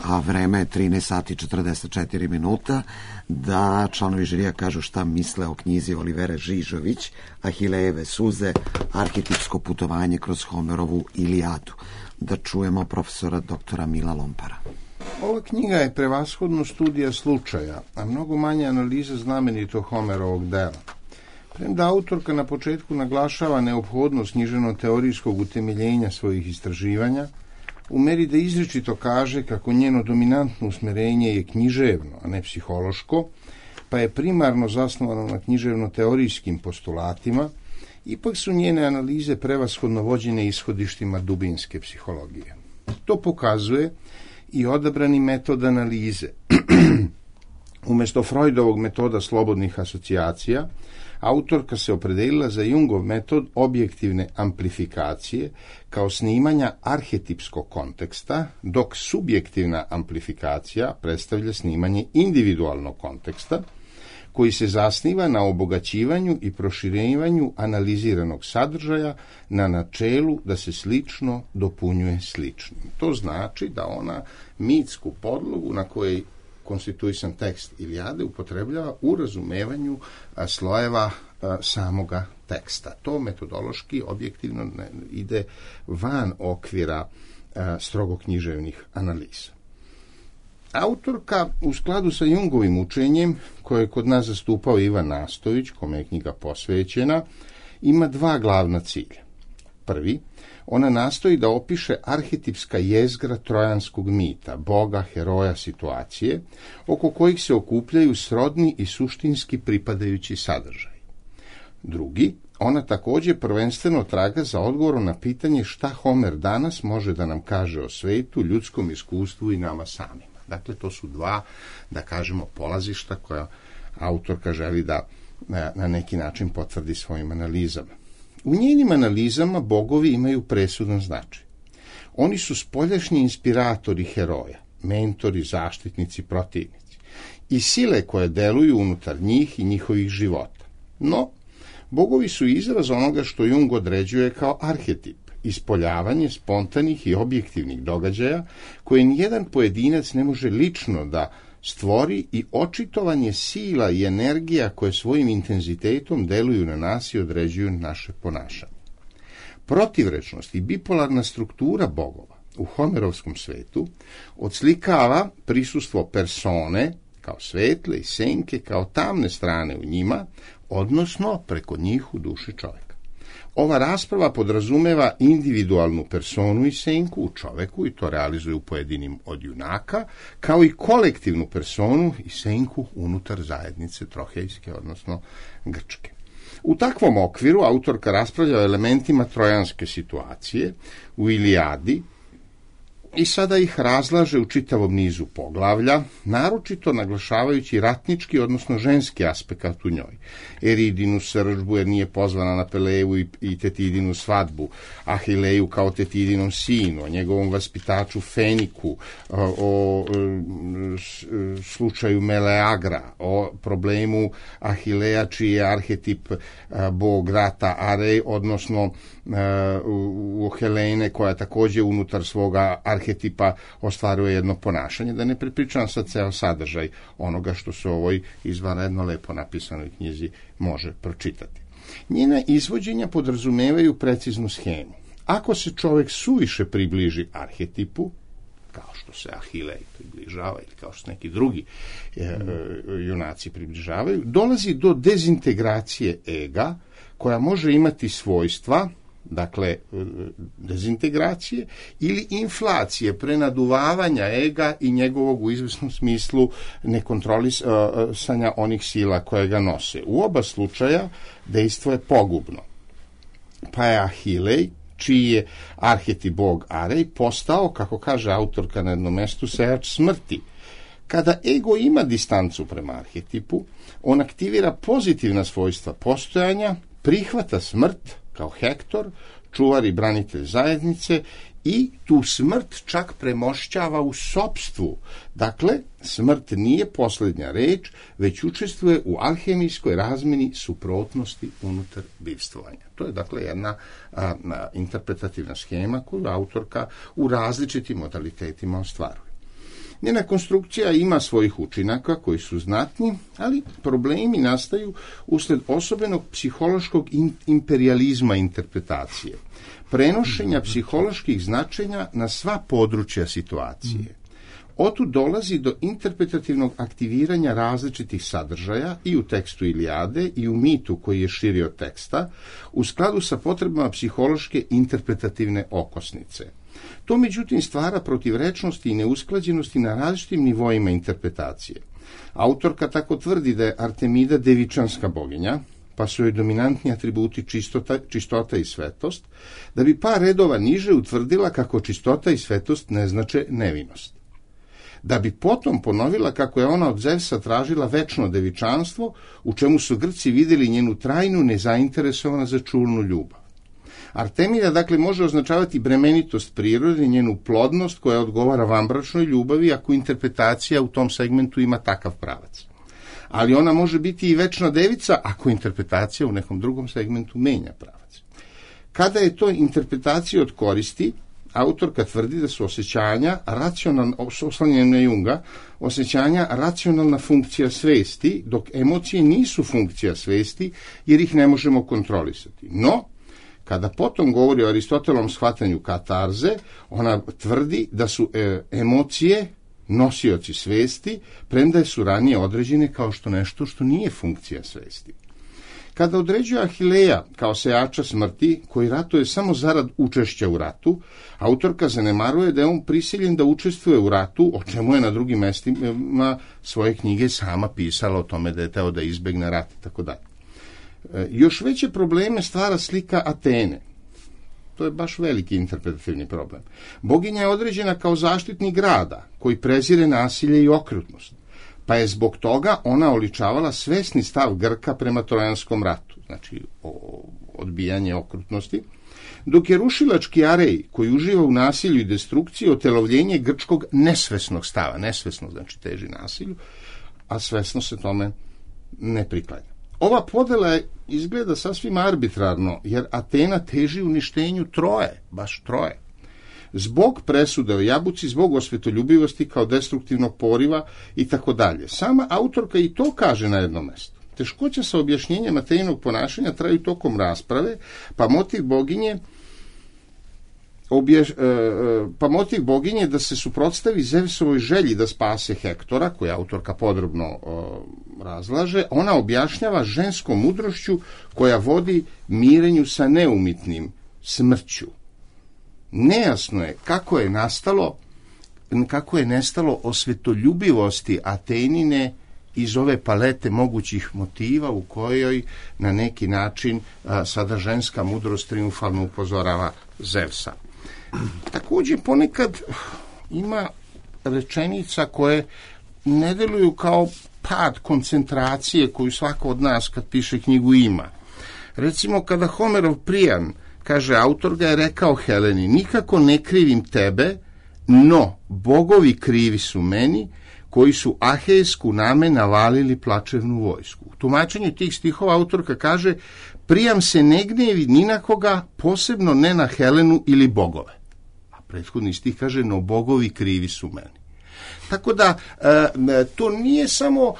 a vreme je 13 sati 44 minuta, da članovi žirija kažu šta misle o knjizi Olivere Žižović Ahilejeve suze, arhetipsko putovanje kroz Homerovu Ilijadu. Da čujemo profesora doktora Mila Lompara. Ova knjiga je prevashodno studija slučaja, a mnogo manje analiza znamenitog Homerovog dela. Premda autorka na početku naglašava neophodnost književno-teorijskog utemeljenja svojih istraživanja, u meri da izričito kaže kako njeno dominantno usmerenje je književno, a ne psihološko, pa je primarno zasnovano na književno-teorijskim postulatima, ipak su njene analize prevashodno vođene ishodištima dubinske psihologije. To pokazuje i odabrani metod analize. Umjesto Freudovog metoda slobodnih asocijacija, autorka se opredelila za Jungov metod objektivne amplifikacije kao snimanja arhetipskog konteksta, dok subjektivna amplifikacija predstavlja snimanje individualnog konteksta, koji se zasniva na obogaćivanju i proširivanju analiziranog sadržaja na načelu da se slično dopunjuje sličnim. To znači da ona mitsku podlogu na kojoj konstituisan tekst Ilijade upotrebljava u razumevanju slojeva samoga teksta. To metodološki objektivno ide van okvira strogo književnih analiza. Autorka, u skladu sa Jungovim učenjem, koje je kod nas zastupao Ivan Nastović, kome je knjiga posvećena, ima dva glavna cilja. Prvi, ona nastoji da opiše arhetipska jezgra trojanskog mita, boga, heroja, situacije, oko kojih se okupljaju srodni i suštinski pripadajući sadržaj. Drugi, ona također prvenstveno traga za odgovorom na pitanje šta Homer danas može da nam kaže o svetu, ljudskom iskustvu i nama samima. Dakle, to su dva, da kažemo, polazišta koja autorka želi da na neki način potvrdi svojim analizama. U njenim analizama bogovi imaju presudan značaj. Oni su spoljašnji inspiratori heroja, mentori, zaštitnici, protivnici i sile koje deluju unutar njih i njihovih života. No, bogovi su izraz onoga što Jung određuje kao arhetip, ispoljavanje spontanih i objektivnih događaja koje nijedan pojedinac ne može lično da stvori i očitovanje sila i energija koje svojim intenzitetom deluju na nas i određuju naše ponašanje. Protivrečnost i bipolarna struktura bogova u homerovskom svetu odslikava prisustvo persone kao svetle i senke kao tamne strane u njima, odnosno preko njih u duši čovjeka. Ova rasprava podrazumeva individualnu personu i senku u čoveku i to realizuje u pojedinim od junaka, kao i kolektivnu personu i senku unutar zajednice trohejske, odnosno grčke. U takvom okviru autorka raspravlja o elementima trojanske situacije u Ilijadi i sada ih razlaže u čitavom nizu poglavlja, naročito naglašavajući ratnički, odnosno ženski aspekt u njoj. Eridinu srdžbu jer nije pozvana na Peleju i Tetidinu svadbu, Ahileju kao Tetidinom sinu, o njegovom vaspitaču Feniku, o slučaju Meleagra, o problemu Ahileja čiji je arhetip bog rata Arej, odnosno u Helene koja također unutar svoga arhetipa ostvaruje jedno ponašanje, da ne prepričam sad ceo sadržaj onoga što se u ovoj izvanredno lepo napisanoj knjizi može pročitati. Njena izvođenja podrazumevaju preciznu schemu. Ako se čovjek suviše približi arhetipu, kao što se Ahilej približava ili kao što se neki drugi junaci približavaju, dolazi do dezintegracije ega koja može imati svojstva, dakle, dezintegracije ili inflacije, prenaduvavanja ega i njegovog u izvesnom smislu nekontrolisanja onih sila koje ga nose. U oba slučaja dejstvo je pogubno. Pa je Ahilej, čiji je arhetip bog Arej postao, kako kaže autorka na jednom mestu, sejač smrti. Kada ego ima distancu prema arhetipu, on aktivira pozitivna svojstva postojanja, prihvata smrt kao Hektor, čuvar i branitelj zajednice, i tu smrt čak premošćava u sopstvu. Dakle, smrt nije posljednja reč, već učestvuje u alhemijskoj razmeni suprotnosti unutar bivstvovanja. To je dakle jedna interpretativna schema koju autorka u različitim modalitetima ostvaruje. Njena konstrukcija ima svojih učinaka koji su znatni, ali problemi nastaju usled osobenog psihološkog imperijalizma interpretacije, prenošenja psiholoških značenja na sva područja situacije. Otud dolazi do interpretativnog aktiviranja različitih sadržaja i u tekstu Ilijade i u mitu koji je širi od teksta, u skladu sa potrebama psihološke interpretativne okosnice. To međutim stvara protivrečnosti i neusklađenosti na različitim nivoima interpretacije. Autorka tako tvrdi da je Artemida devičanska boginja, pa su joj dominantni atributi čistota i svetost, da bi par redova niže utvrdila kako čistota i svetost ne znače nevinost. Da bi potom ponovila kako je ona od Zevsa tražila večno devičanstvo, u čemu su Grci vidjeli njenu trajnu nezainteresovana za čulnu ljubav. Artemida dakle može označavati bremenitost prirode, njenu plodnost koja odgovara vanbračnoj ljubavi ako interpretacija u tom segmentu ima takav pravac. Ali ona može biti i večna devica ako interpretacija u nekom drugom segmentu menja pravac. Kada je to interpretacija od koristi, autorka tvrdi da su osjećanja oslanjena Junga, osjećanja racionalna funkcija svesti, dok emocije nisu funkcija svesti jer ih ne možemo kontrolisati. No, kada potom govori o Aristotelovom shvatanju katarze, ona tvrdi da su emocije nosioci svesti, premda su ranije određene kao što nešto što nije funkcija svesti. Kada određuje Ahileja kao sejača smrti, koji ratuje samo zarad učešća u ratu, autorka zanemaruje da je on prisiljen da učestvuje u ratu, o čemu je na drugim mestima svoje knjige sama pisala o tome da je teo da izbegne rat i tako dalje. Još veće probleme stvara slika Atene. To je baš veliki interpretativni problem. Boginja je određena kao zaštitnik grada, koji prezire nasilje i okrutnost, pa je zbog toga ona oličavala svesni stav Grka prema Trojanskom ratu, znači odbijanje okrutnosti, dok je rušilački Arej, koji uživa u nasilju i destrukciji, otelovljenje grčkog nesvesnog stava. Nesvesno znači teži nasilju, a svesno se tome ne priklanja. Ova podela izgleda sasvim arbitrarno, jer Atena teži uništenju Troje, baš Troje. Zbog presude o jabuci, zbog osvetoljubivosti kao destruktivnog poriva i tako dalje. Sama autorka i to kaže na jednom mjestu. Teškoća sa objašnjenjem Ateninog ponašanja traju tokom rasprave, pa motiv boginje da se suprotstavi Zevsovoj želji da spase Hektora, koju autorka podrobno razlaže, ona objašnjava ženskom mudrošću koja vodi mirenju sa neumitnim, smrću. Nejasno je kako je nestalo osvetoljubivosti Atenine iz ove palete mogućih motiva u kojoj na neki način sada ženska mudrost triumfalno upozorava Zevsa. Također ponekad ima rečenica koje ne deluju kao pad koncentracije koju svako od nas kad piše knjigu ima. Recimo kada Homerov Priam kaže, autor ga je rekao Heleni, nikako ne krivim tebe, no bogovi krivi su meni, koji su ahejsku name navalili plačevnu vojsku. U tumačenju tih stihova autorka kaže, Priam se ne gnevi ni na koga, posebno ne na Helenu ili bogove. A prethodni stih kaže, no bogovi krivi su meni. Tako da, to nije samo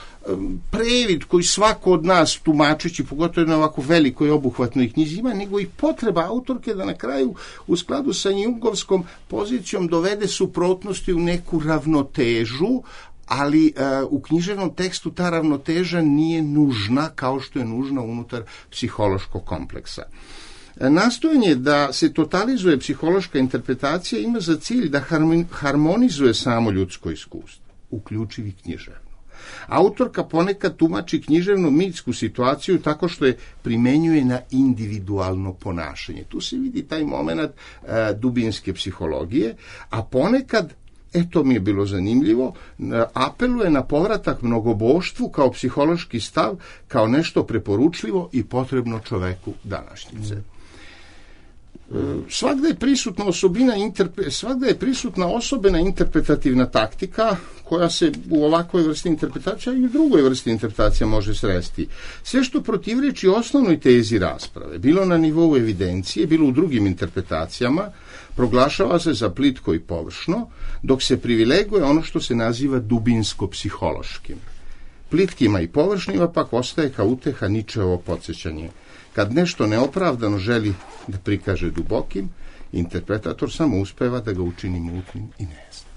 previd koji svako od nas tumačeći, pogotovo na ovako velikoj obuhvatnoj knjizi ima, nego i potreba autorke da na kraju u skladu sa jungovskom pozicijom dovede suprotnosti u neku ravnotežu, ali u književnom tekstu ta ravnoteža nije nužna kao što je nužna unutar psihološkog kompleksa. Nastojanje da se totalizuje psihološka interpretacija ima za cilj da harmonizuje samo ljudsko iskustvo, uključivi književno. Autorka ponekad tumači književno-mitsku situaciju tako što je primenjuje na individualno ponašanje. Tu se vidi taj moment dubinske psihologije, a ponekad, to mi je bilo zanimljivo, apeluje na povratak mnogoboštvu kao psihološki stav, kao nešto preporučljivo i potrebno čoveku današnjice. Svagda je prisutna osobena interpretativna taktika koja se u ovakvoj vrsti interpretacija i u drugoj vrsti interpretacija može sresti. Sve što protivreči osnovnoj tezi rasprave, bilo na nivou evidencije, bilo u drugim interpretacijama, proglašava se za plitko i površno, dok se privileguje ono što se naziva dubinsko-psihološkim. Plitkima i površnima pak ostaje kao uteha Ničeovo podsjećanje. Kad nešto neopravdano želi da prikaže dubokim, interpretator samo uspeva da ga učini mutnim i nejasnim.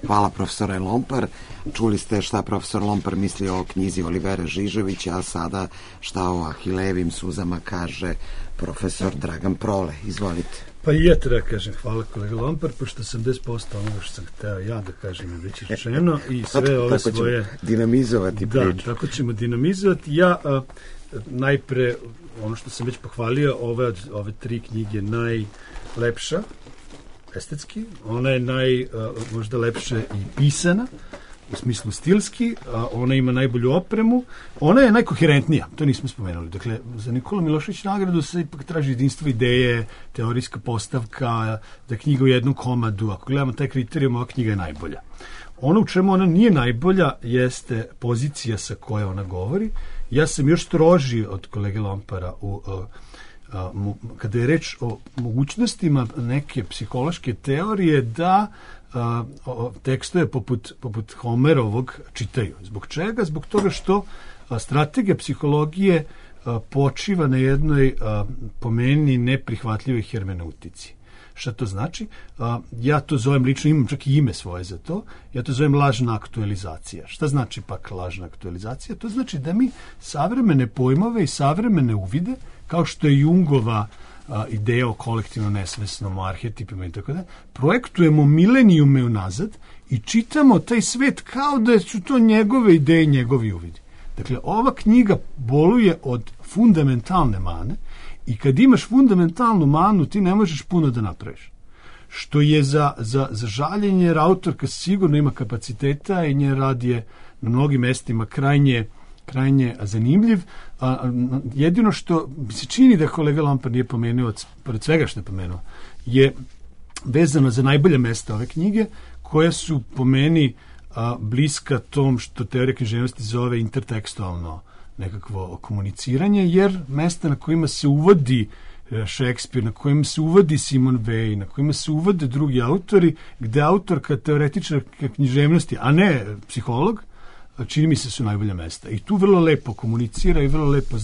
Hvala, profesore Lompar. Čuli ste šta profesor Lompar misli o knjizi Olivera Žižovića, a sada šta o Ahilejevim suzama kaže profesor Dragan Prole. Izvolite. Pa i ja treba kažem hvala kolega Lompar, pošto 80% onoga što sam hteo ja da kažem je već rečeno i sve ove tako svoje... Ćemo dinamizovati priču. Da, tako ćemo dinamizovati. Ja najpre, ono što sam već pohvalio, ove tri knjige najlepša, estetski, ona je možda lepše i pisana, u smislu stilski, ona ima najbolju opremu, ona je najkoherentnija, to nismo spomenuli. Dakle, za Nikola Milošević nagradu se ipak traži jedinstvo ideje, teorijska postavka, da je knjiga u jednom komadu. Ako gledamo taj kriterijum, ova knjiga je najbolja. Ono u čemu ona nije najbolja jeste pozicija sa koje ona govori. Ja sam još stroži od kolege Lompara kada je reč o mogućnostima neke psihološke teorije da tekstove poput Homerovog čitaju. Zbog čega? Zbog toga što strategija psihologije počiva na jednoj po meni neprihvatljivoj hermeneutici. Šta to znači? Ja to zovem lično, imam čak i ime svoje za to, ja to zovem lažna aktualizacija. Šta znači pak lažna aktualizacija? To znači da mi savremene pojmove i savremene uvide, kao što je Jungova ideja o kolektivno nesvesnom, o arhetipima i tako da, projektujemo milenijume unazad i čitamo taj svet kao da su to njegove ideje, njegovi uvidi. Dakle, ova knjiga boluje od fundamentalne mane i kad imaš fundamentalnu manu, ti ne možeš puno da napraviš. Što je za žaljenje, jer autorka sigurno ima kapaciteta i njen rad je na mnogim mestima krajnje zanimljiv. Jedino što mi se čini da kolega Lompar nije pomenuo, pored svega što je pomenuo, je vezano za najbolje mesta ove knjige, koja su po meni bliska tom što teorija književnosti zove intertekstualno nekakvo komuniciranje, jer mesta na kojima se uvodi Šekspir, na kojima se uvodi Simon Weil, na kojima se uvode drugi autori, gde autorka teoretičarka književnosti, a ne psiholog, čini mi se su najbolja mesta. I tu vrlo lepo komunicira i vrlo lepo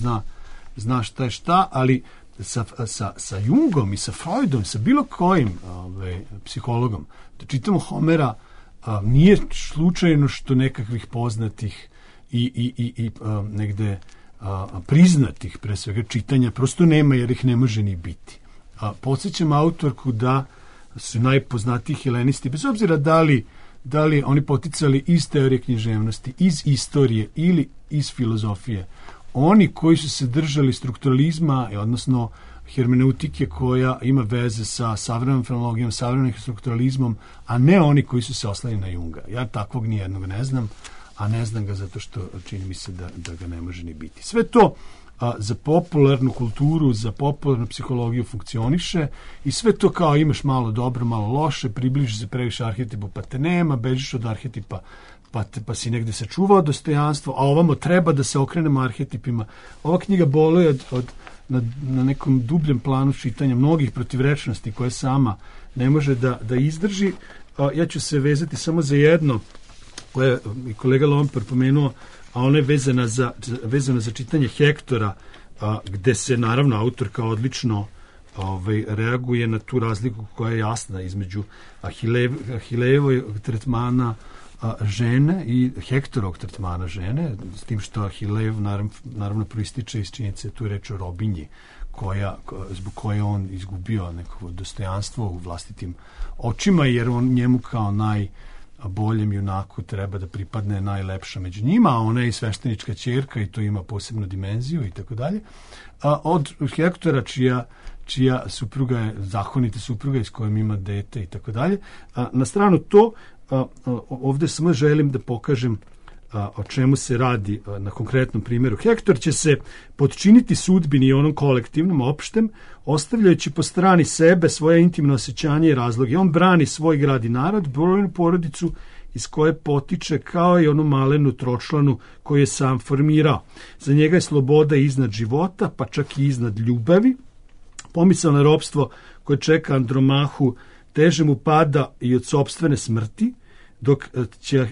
zna šta je šta, ali sa Jungom i sa Freudom, sa bilo kojim psihologom, da čitamo Homera, nije slučajno što nekakvih poznatih i negde priznatih, pre svega, čitanja prosto nema, jer ih ne može ni biti. Podsjećam autorku da su najpoznatiji helenisti, bez obzira da li oni poticali iz teorije književnosti, iz istorije ili iz filozofije. Oni koji su se držali strukturalizma, odnosno hermeneutike koja ima veze sa savremenom fenologijom, savremenim strukturalizmom, a ne oni koji su se oslali na Junga. Ja takvog nijednog ne znam, a ne znam ga zato što čini mi se da ga ne može ni biti. Sve to za popularnu kulturu, za popularnu psihologiju funkcioniše i sve to kao imaš malo dobro, malo loše, približiš se previše arhetipu pa te nema, bežiš od arhetipa pa si negde sačuvao dostojanstvo, a ovamo treba da se okrenemo arhetipima. Ova knjiga boluje na nekom dubljem planu čitanja mnogih protivrečnosti koje sama ne može da izdrži. Ja ću se vezati samo za jedno koje je i kolega Lompar pomenuo, a ona je vezana za čitanje Hektora, gde se naravno autorka odlično reaguje na tu razliku koja je jasna između Ahilejevog tretmana žene i Hektorovog tretmana žene, s tim što Ahilejev naravno proističe iz činjenice, tu je reč o robinji, zbog koje on izgubio neko dostojanstvo u vlastitim očima, jer on njemu kao boljem junaku treba da pripadne najlepša među njima, a ona je i sveštenička ćerka i to ima posebnu dimenziju i tako dalje. Od Hektora čija supruga je zakonita supruga i s kojom ima dete i tako dalje. Na stranu to, ovde samo želim da pokažem o čemu se radi na konkretnom primjeru. Hektor će se podčiniti sudbini i onom kolektivnom, opštem, ostavljajući po strani sebe svoje intimno osjećanje i razloge. On brani svoj grad i narod, brojnu porodicu iz koje potiče, kao i onu malenu tročlanu koju je sam formirao. Za njega je sloboda iznad života, pa čak i iznad ljubavi. Pomisao na ropstvo koje čeka Andromahu teže mu pada i od sopstvene smrti,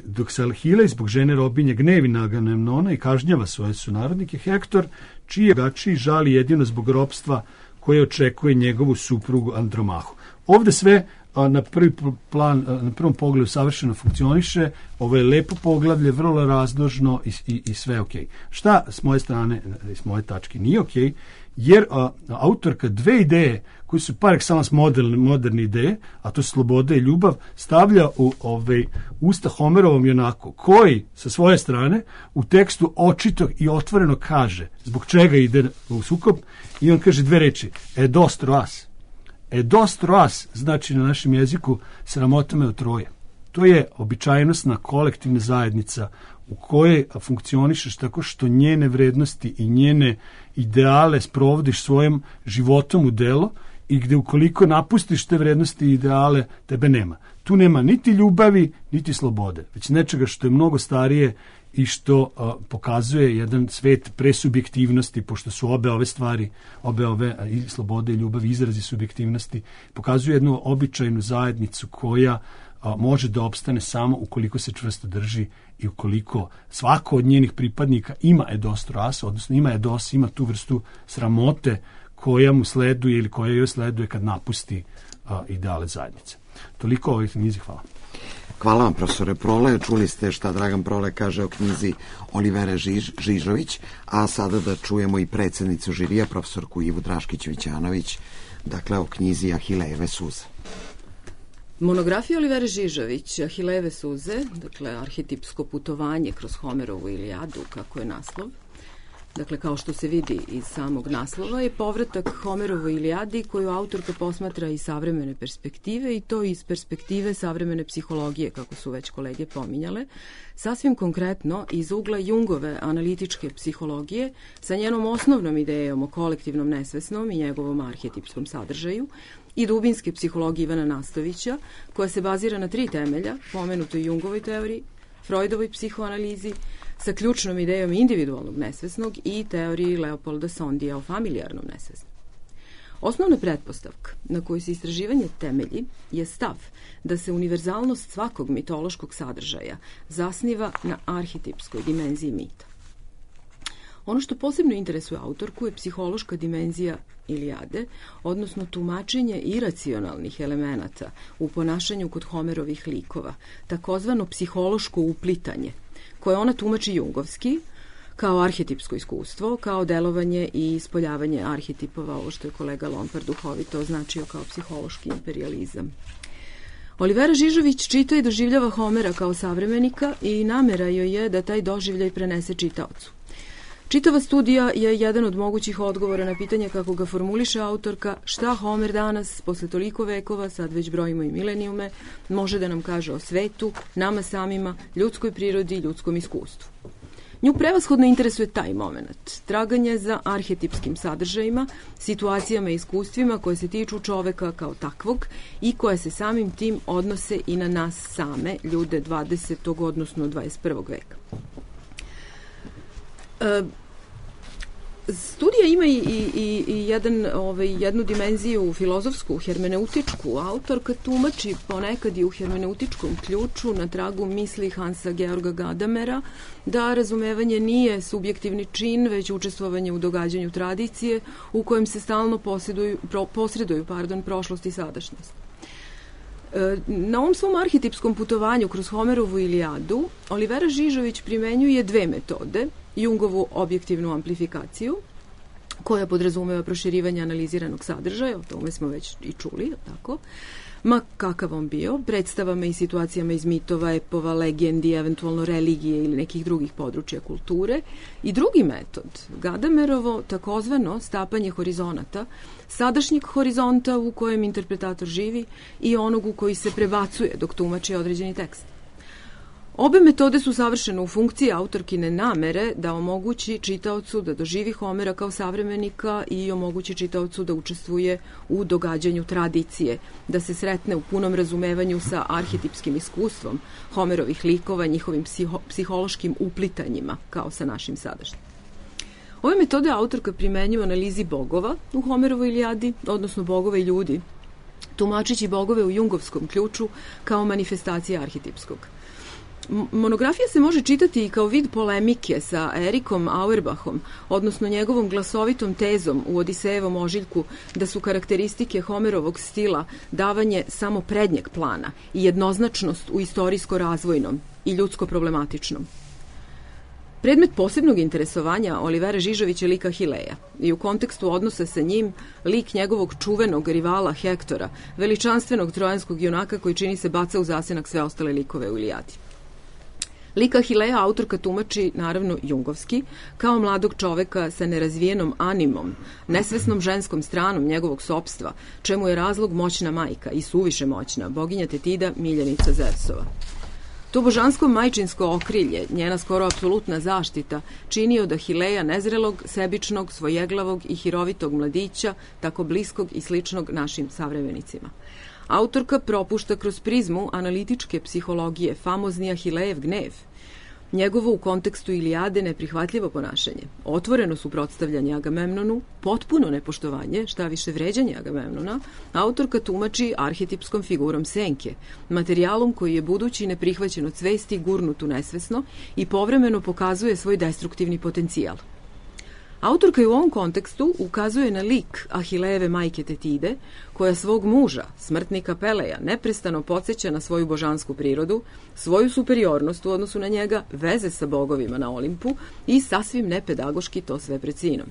dok se Ahile zbog žene robinje gnevi na Agamemnona i kažnjava svoje sunarodnike, Hektor, čiji je gačiji žali jedino zbog ropstva koje očekuje njegovu suprugu Andromahu. Ovde sve na prvom pogledu savršeno funkcioniše, ovo je lepo poglavlje, vrlo razložno i sve ok. Šta s moje strane, s moje tačke nije ok, jer autorka dve ideje koji su par excellence moderne ideje, a to je sloboda i ljubav, stavlja u usta Homerovom junaku, koji sa svoje strane u tekstu očito i otvoreno kaže zbog čega ide u sukob, i on kaže dve reči: edos troas. Edos troas znači na našem jeziku sramota me od troje. To je običajnostna kolektivna zajednica u kojoj funkcionišeš tako što njene vrednosti i njene ideale sprovodiš svojim životom u delo, i gde ukoliko napustiš te vrednosti i ideale, tebe nema. Tu nema niti ljubavi, niti slobode, već nečega što je mnogo starije i što pokazuje jedan svet presubjektivnosti, pošto su obe ove stvari, i slobode i ljubav, izrazi subjektivnosti, pokazuje jednu običajnu zajednicu koja može da opstane samo ukoliko se čvrsto drži i ukoliko svako od njenih pripadnika ima edos troas, odnosno ima tu vrstu sramote koja mu sleduje ili koja joj sleduje kad napusti ideale zajednice. Toliko o ovoj knjizi, hvala. Hvala vam, profesore Prole. Čuli ste šta Dragan Prole kaže o knjizi Olivere Žižović, a sada da čujemo i predsjednicu žirija, profesorku Ivu Draškić-Vićanović, dakle o knjizi Ahilejeve suze. Monografija Olivere Žižović, Ahilejeve suze, dakle arhetipsko putovanje kroz Homerovu Ilijadu, kako je naslov. Dakle, kao što se vidi iz samog naslova, je povratak Homerovoj Ilijadi koju autorka posmatra iz savremene perspektive, i to iz perspektive savremene psihologije, kako su već kolege pominjale, sasvim konkretno iz ugla Jungove analitičke psihologije sa njenom osnovnom idejom o kolektivnom nesvesnom i njegovom arhetipskom sadržaju, i dubinske psihologije Ivana Nastovića, koja se bazira na 3 temelja, pomenutoj Jungovoj teoriji, Freudovoj psihoanalizi, sa ključnom idejom individualnog nesvesnog i teoriji Leopolda Sondija o familijarnom nesvesnom. Osnovna pretpostavka na kojoj se istraživanje temelji je stav da se univerzalnost svakog mitološkog sadržaja zasniva na arhetipskoj dimenziji mita. Ono što posebno interesuje autorku je psihološka dimenzija Ilijade, odnosno tumačenje iracionalnih elemenata u ponašanju kod Homerovih likova, takozvano psihološko uplitanje, koje ona tumači jungovski, kao arhetipsko iskustvo, kao delovanje i ispoljavanje arhetipova, ovo što je kolega Lompar duhovito označio kao psihološki imperijalizam. Olivera Žižović čita i doživljava Homera kao savremenika i namera joj je da taj doživljaj prenese čitaocu. Čitava studija je jedan od mogućih odgovora na pitanje kako ga formuliše autorka, šta Homer danas, posle toliko vekova, sad već brojimo i milenijume, može da nam kaže o svetu, nama samima, ljudskoj prirodi i ljudskom iskustvu. Nju prevashodno interesuje taj moment, traganje za arhetipskim sadržajima, situacijama i iskustvima koje se tiču čoveka kao takvog i koje se samim tim odnose i na nas same, ljude 20. odnosno 21. veka. Studija ima i jednu dimenziju filozofsku, hermeneutičku. Autorka tumači ponekad i u hermeneutičkom ključu na tragu misli Hansa Georga Gadamera da razumevanje nije subjektivni čin, već učestvovanje u događanju tradicije u kojem se stalno posreduju prošlost i sadašnjost. Na ovom svom arhetipskom putovanju kroz Homerovu Ilijadu Olivera Žižović primenjuje 2 metode. Jungovu objektivnu amplifikaciju, koja podrazumeva proširivanje analiziranog sadržaja, o tome smo već i čuli, tako? Ma kakav on bio, predstavama i situacijama iz mitova, epova, legendi, eventualno religije ili nekih drugih područja kulture. I drugi metod, Gadamerovo takozvano stapanje horizonata, sadašnjeg horizonta u kojem interpretator živi i onog u koji se prebacuje dok tumači određeni tekst. Obe metode su savršene u funkciji autorkine namere da omogući čitaocu da doživi Homera kao savremenika i omogući čitaocu da učestvuje u događanju tradicije, da se sretne u punom razumevanju sa arhetipskim iskustvom Homerovih likova, njihovim psihološkim uplitanjima, kao sa našim sadašnjim. Ove metode autorka primenjuje u analizi bogova u Homerovoj Ilijadi, odnosno bogova i ljudi, tumačići bogove u jungovskom ključu kao manifestacije arhetipskog. Monografija se može čitati i kao vid polemike sa Erikom Auerbachom, odnosno njegovom glasovitom tezom u Odisejevom ožiljku da su karakteristike Homerovog stila davanje samo prednjeg plana i jednoznačnost u istorijsko-razvojnom i ljudsko-problematičnom. Predmet posebnog interesovanja Olivera Žižovića je lik Ahileja i u kontekstu odnosa sa njim lik njegovog čuvenog rivala Hektora, veličanstvenog trojanskog junaka koji čini se baca u zasenak sve ostale likove u Ilijadi. Lik Ahileja autorka tumači, naravno, jungovski, kao mladog čoveka sa nerazvijenom animom, nesvesnom ženskom stranom njegovog sopstva, čemu je razlog moćna majka i suviše moćna, boginja Tetida, miljenica Zeusova. To božansko majčinsko okrilje, njena skoro apsolutna zaštita, čini od Ahileja nezrelog, sebičnog, svojeglavog i hirovitog mladića, tako bliskog i sličnog našim savremenicima. Autorka propušta kroz prizmu analitičke psihologije famozni Ahilejev gnev, njegovo u kontekstu Ilijade neprihvatljivo ponašanje, otvoreno suprotstavljanje Agamemnonu, potpuno nepoštovanje, šta više vređanje Agamemnona, autorka tumači arhetipskom figurom senke, materijalom koji je budući neprihvaćen od svesti gurnut u nesvesno i povremeno pokazuje svoj destruktivni potencijal. Autorka je u ovom kontekstu ukazuje na lik Ahilejeve majke Tetide, koja svog muža, smrtnika Peleja, neprestano podsjeća na svoju božansku prirodu, svoju superiornost u odnosu na njega, veze sa bogovima na Olimpu i sasvim nepedagoški to sve pred sinom.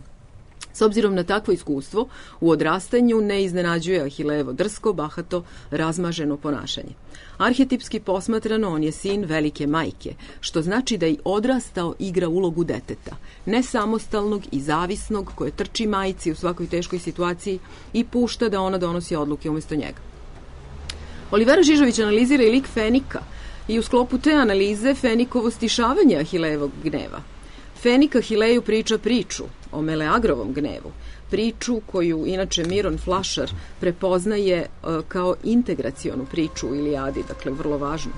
S obzirom na takvo iskustvo, u odrastanju ne iznenađuje Ahilejevo drsko, bahato, razmaženo ponašanje. Arhetipski posmatrano, on je sin velike majke, što znači da i odrastao igra ulogu deteta, nesamostalnog i zavisnog, koje trči majci u svakoj teškoj situaciji i pušta da ona donosi odluke umjesto njega. Olivera Žižović analizira i lik Fenika i u sklopu te analize Fenikovo stišavanje Ahilejevog gneva. Fenik Ahileju priča priču o Meleagrovom gnevu, priču koju inače Miron Flašar prepoznaje kao integracionu priču u Ilijadi, dakle vrlo važnu.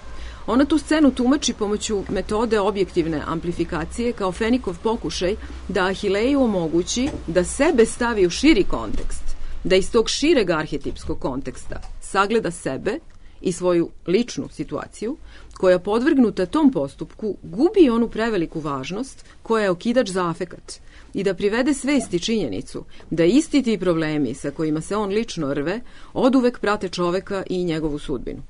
Ona tu scenu tumači pomoću metode objektivne amplifikacije kao Fenikov pokušaj da Ahileju omogući da sebe stavi u širi kontekst, da iz tog šireg arhetipskog konteksta sagleda sebe i svoju ličnu situaciju, koja podvrgnuta tom postupku gubi onu preveliku važnost koja je okidač za afekat i da privede svesti činjenicu da isti ti problemi sa kojima se on lično rve oduvek prate čoveka i njegovu sudbinu.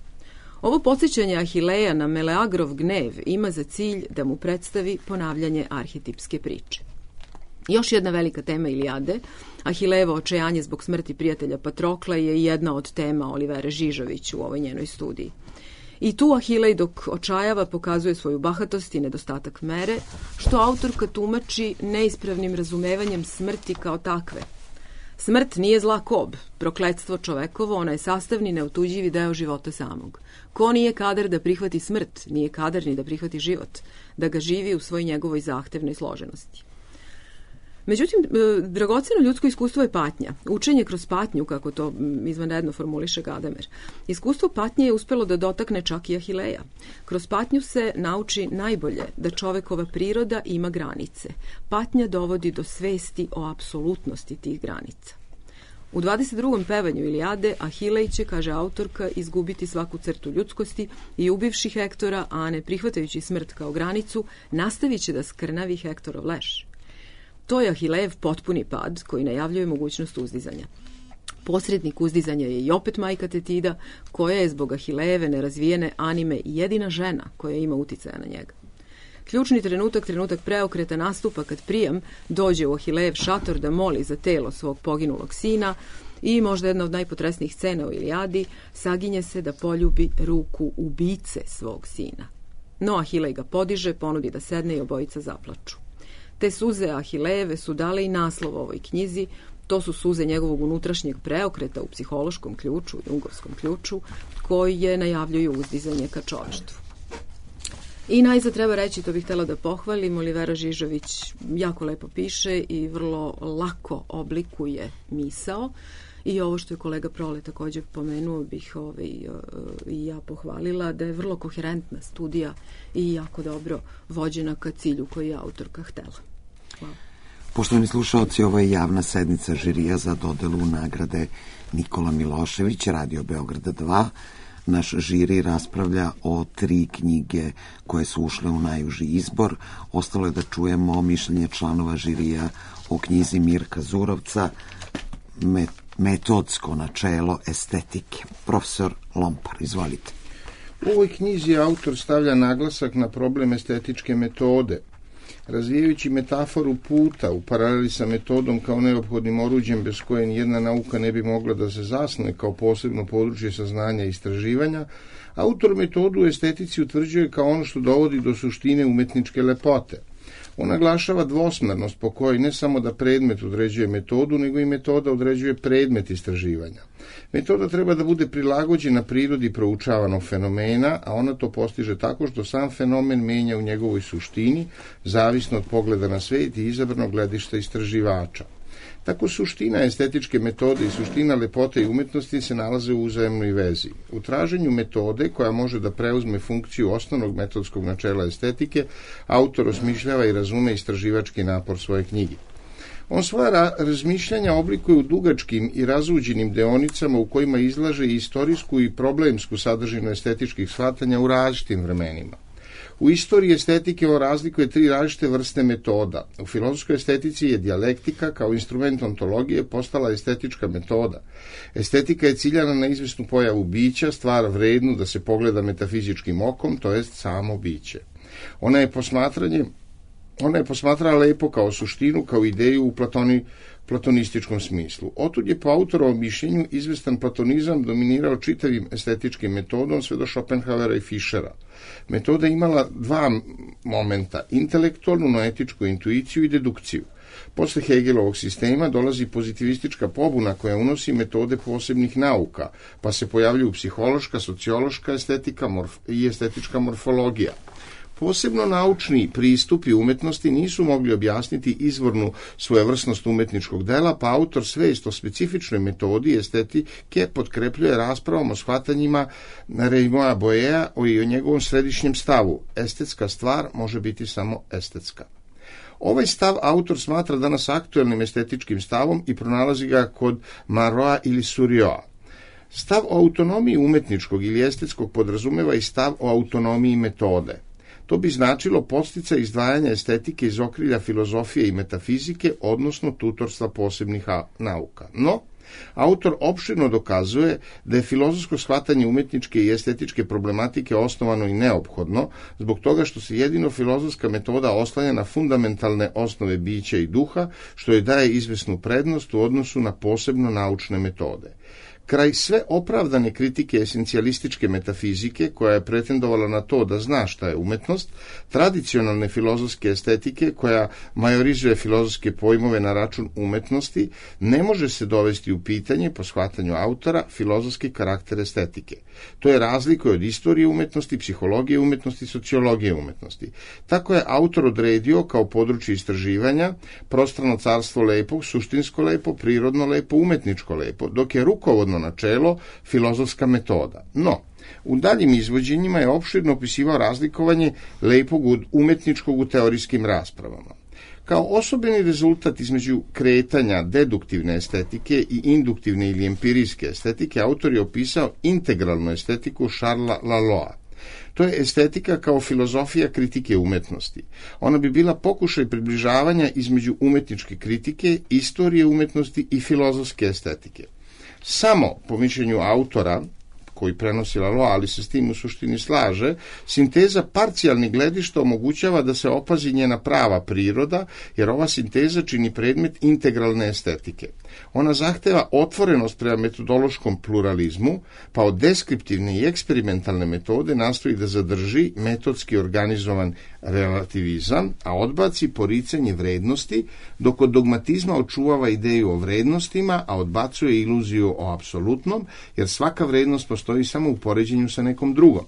Ovo podsjećanje Ahileja na Meleagrov gnev ima za cilj da mu predstavi ponavljanje arhetipske priče. Još jedna velika tema Ilijade, Ahilejevo očajanje zbog smrti prijatelja Patrokla, je jedna od tema Olivere Žižović u ovoj njenoj studiji. I tu Ahilej dok očajava pokazuje svoju bahatost i nedostatak mere, što autorka tumači neispravnim razumevanjem smrti kao takve. Smrt nije zla kob, prokletstvo čovekovo, ona je sastavni neotuđivi deo života samog. Ko nije kadar da prihvati smrt, nije kadar ni da prihvati život, da ga živi u svoj njegovoj zahtevnoj složenosti. Međutim, dragoceno ljudsko iskustvo je patnja. Učenje kroz patnju, kako to izvanredno formuliše Gadamer. Iskustvo patnje je uspelo da dotakne čak i Ahileja. Kroz patnju se nauči najbolje da čovekova priroda ima granice. Patnja dovodi do svesti o apsolutnosti tih granica. U 22. pevanju Ilijade Ahilej će, kaže autorka, izgubiti svaku crtu ljudskosti i ubivši Hektora, a ne prihvatajući smrt kao granicu, nastavit će da skrnavi Hektorov leš. To je Ahilejev potpuni pad koji najavljuje mogućnost uzdizanja. Posrednik uzdizanja je i opet majka Tetida, koja je zbog Ahilejeve nerazvijene anime jedina žena koja ima uticaja na njega. Ključni trenutak preokreta nastupa kad Prijam dođe u Ahilejev šator da moli za telo svog poginulog sina i možda jedna od najpotresnijih scena u Ilijadi, saginje se da poljubi ruku ubice svog sina. No Ahilej ga podiže, ponudi da sedne i obojica zaplaču. Te suze Ahilejeve su dale i naslov ovoj knjizi. To su suze njegovog unutrašnjeg preokreta u psihološkom ključu i ungovskom ključu, koje najavljuju uzdizanje ka čoveštvu. I najzad treba reći, to bih htjela da pohvalim, Olivera Žižović jako lepo piše i vrlo lako oblikuje misao. I ovo što je kolega Prole također pomenuo bih i ja pohvalila, da je vrlo koherentna studija i jako dobro vođena ka cilju koji je autorka htela. Hvala. Poštovani slušaoci, ovo je javna sednica žirija za dodelu nagrade Nikola Milošević, Radio Beograda 2. Naš žiri raspravlja o 3 knjige koje su ušle u najuži izbor. Ostalo je da čujemo mišljenje članova žirija o knjizi Mirka Zurovca Metodsko načelo estetike. Profesor Lompar, izvolite. U ovoj knjizi autor stavlja naglasak na problem estetičke metode, razvijajući metaforu puta u paraleli sa metodom kao neophodnim oruđem bez koje nijedna nauka ne bi mogla da se zasnuje kao posebno područje saznanja i istraživanja. Autor metodu u estetici utvrđuje kao ono što dovodi do suštine umetničke lepote. On naglašava dvosmernost po kojoj ne samo da predmet određuje metodu, nego i metoda određuje predmet istraživanja. Metoda treba da bude prilagođena prirodi proučavanog fenomena, a ona to postiže tako što sam fenomen menja u njegovoj suštini, zavisno od pogleda na svet i izabranog gledišta istraživača. Tako suština estetičke metode i suština lepote i umetnosti se nalaze u uzajemnoj vezi. U traženju metode koja može da preuzme funkciju osnovnog metodskog načela estetike, autor osmišljava i razume istraživački napor svoje knjige. On svoja razmišljanja oblikuje u dugačkim i razuđenim deonicama u kojima izlaže i istorijsku i problemsku sadržinu estetičkih shvatanja u različitim vremenima. U istoriji estetike on razlikuje 3 različite vrste metoda. U filozofskoj estetici je dijalektika kao instrument ontologije postala estetička metoda. Estetika je ciljana na izvesnu pojavu bića, stvar vrednu da se pogleda metafizičkim okom, to jest samo biće. Ona je posmatrala lepo kao suštinu, kao ideju u platonističkom smislu. Otud je po autorovom mišljenju izvestan platonizam dominirao čitavim estetičkim metodom sve do Schopenhauera i Fischera. Metoda imala 2 momenta, intelektualnu, noetičku intuiciju i dedukciju. Posle Hegelovog sistema dolazi pozitivistička pobuna koja unosi metode posebnih nauka, pa se pojavljuju psihološka, sociološka estetika i estetička morfologija. Posebno naučni pristupi umetnosti nisu mogli objasniti izvornu svojevrsnost umetničkog dela, pa autor svest o specifičnoj metodi estetike potkrepljuje raspravom o shvatanjima Raymond Boyea i o njegovom središnjem stavu. Estetska stvar može biti samo estetska. Ovaj stav autor smatra danas aktuelnim estetičkim stavom i pronalazi ga kod Maroa ili Surioa. Stav o autonomiji umetničkog ili estetskog podrazumeva i stav o autonomiji metode. To bi značilo podsticaj izdvajanja estetike iz okrilja filozofije i metafizike, odnosno tutorstva posebnih nauka. No, autor opširno dokazuje da je filozofsko shvatanje umetničke i estetičke problematike osnovano i neophodno, zbog toga što se jedino filozofska metoda oslanja na fundamentalne osnove bića i duha, što joj daje izvesnu prednost u odnosu na posebno naučne metode. Kraj sve opravdane kritike esencijalističke metafizike, koja je pretendovala na to da zna šta je umetnost, tradicionalne filozofske estetike, koja majorizuje filozofske pojmove na račun umetnosti, ne može se dovesti u pitanje, po shvatanju autora, filozofski karakter estetike. To je razlika od istorije umetnosti, psihologije umetnosti, sociologije umetnosti. Tako je autor odredio kao područje istraživanja prostrano carstvo lepog, suštinsko lepo, prirodno lepo, umetničko lepo, dok je rukovodno načelo filozofska metoda. No, u daljim izvođenjima je opširno opisivao razlikovanje lepog od umetničkog u teorijskim raspravama. Kao osobeni rezultat između kretanja deduktivne estetike i induktivne ili empirijske estetike, autor je opisao integralnu estetiku Charlesa Laloa. To je estetika kao filozofija kritike umetnosti. Ona bi bila pokušaj približavanja između umetničke kritike, istorije umetnosti i filozofske estetike. Samo, po mišljenju autora, koji prenosi Lalois, ali se s tim u suštini slaže, sinteza parcijalnih gledišta omogućava da se opazi njena prava priroda, jer ova sinteza čini predmet integralne estetike. Ona zahteva otvorenost prema metodološkom pluralizmu, pa od deskriptivne i eksperimentalne metode nastoji da zadrži metodski organizovan relativizam, a odbaci poricanje vrednosti, dok od dogmatizma očuvava ideju o vrednostima, a odbacuje iluziju o apsolutnom, jer svaka vrednost postoji samo u poređenju sa nekom drugom.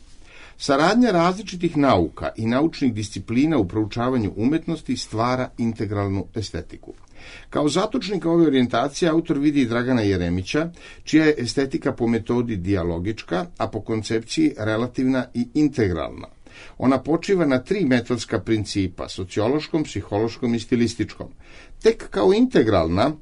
Saradnja različitih nauka i naučnih disciplina u proučavanju umetnosti stvara integralnu estetiku. Kao zatočnika ove orijentacije autor vidi i Dragana Jeremića, čija je estetika po metodi dijalogička, a po koncepciji relativna i integralna. Ona počiva na 3 metodska principa, sociološkom, psihološkom i stilističkom. Tek kao integralna,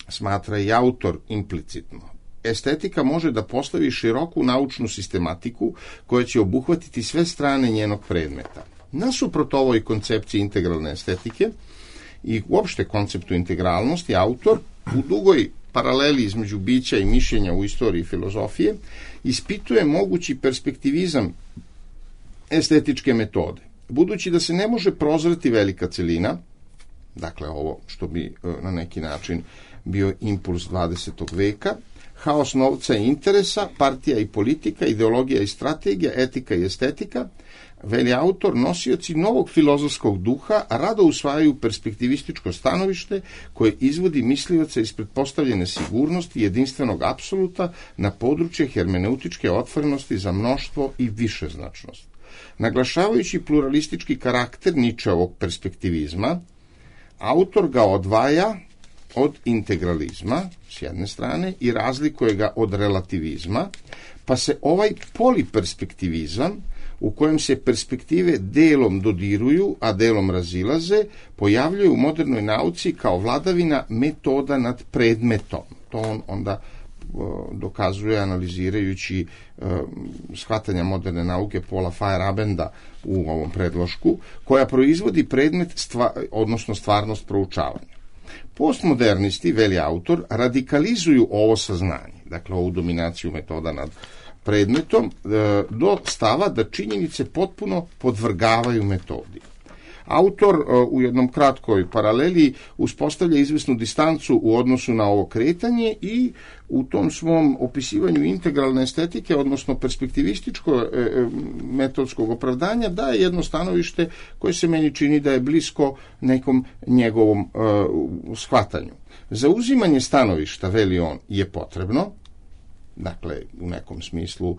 smatra i autor implicitno, estetika može da postavi široku naučnu sistematiku koja će obuhvatiti sve strane njenog predmeta. Nasuprot ovoj koncepciji integralne estetike i uopšte konceptu integralnosti, autor u dugoj paraleli između bića i mišljenja u istoriji filozofije ispituje mogući perspektivizam estetičke metode. Budući da se ne može prozreti velika celina, dakle ovo što bi na neki način bio impuls 20. veka, haos novca i interesa, partija i politika, ideologija i strategija, etika i estetika, veli autor, nosioci novog filozofskog duha rado usvajaju perspektivističko stanovište koje izvodi mislioca iz pretpostavljene sigurnosti jedinstvenog apsoluta na područje hermeneutičke otvorenosti za mnoštvo i višeznačnost. Naglašavajući pluralistički karakter Nietzscheovog perspektivizma, autor ga odvaja od integralizma s jedne strane i razlikuje ga od relativizma, pa se ovaj poliperspektivizam u kojem se perspektive delom dodiruju, a delom razilaze, pojavljuje u modernoj nauci kao vladavina metoda nad predmetom. To on onda dokazuje analizirajući shvatanja moderne nauke Paula Feyerabenda u ovom predlošku, koja proizvodi predmet, odnosno stvarnost proučavanja. Postmodernisti, veli autor, radikalizuju ovo saznanje, dakle ovu dominaciju metoda nad predmetom, do stava da činjenice potpuno podvrgavaju metodi. Autor u jednom kratkoj paraleli uspostavlja izvesnu distancu u odnosu na ovo kretanje i u tom svom opisivanju integralne estetike, odnosno perspektivističko metodskog opravdanja, daje jedno stanovište koje se meni čini da je blisko nekom njegovom shvatanju. Zauzimanje stanovišta, veli on, je potrebno, dakle u nekom smislu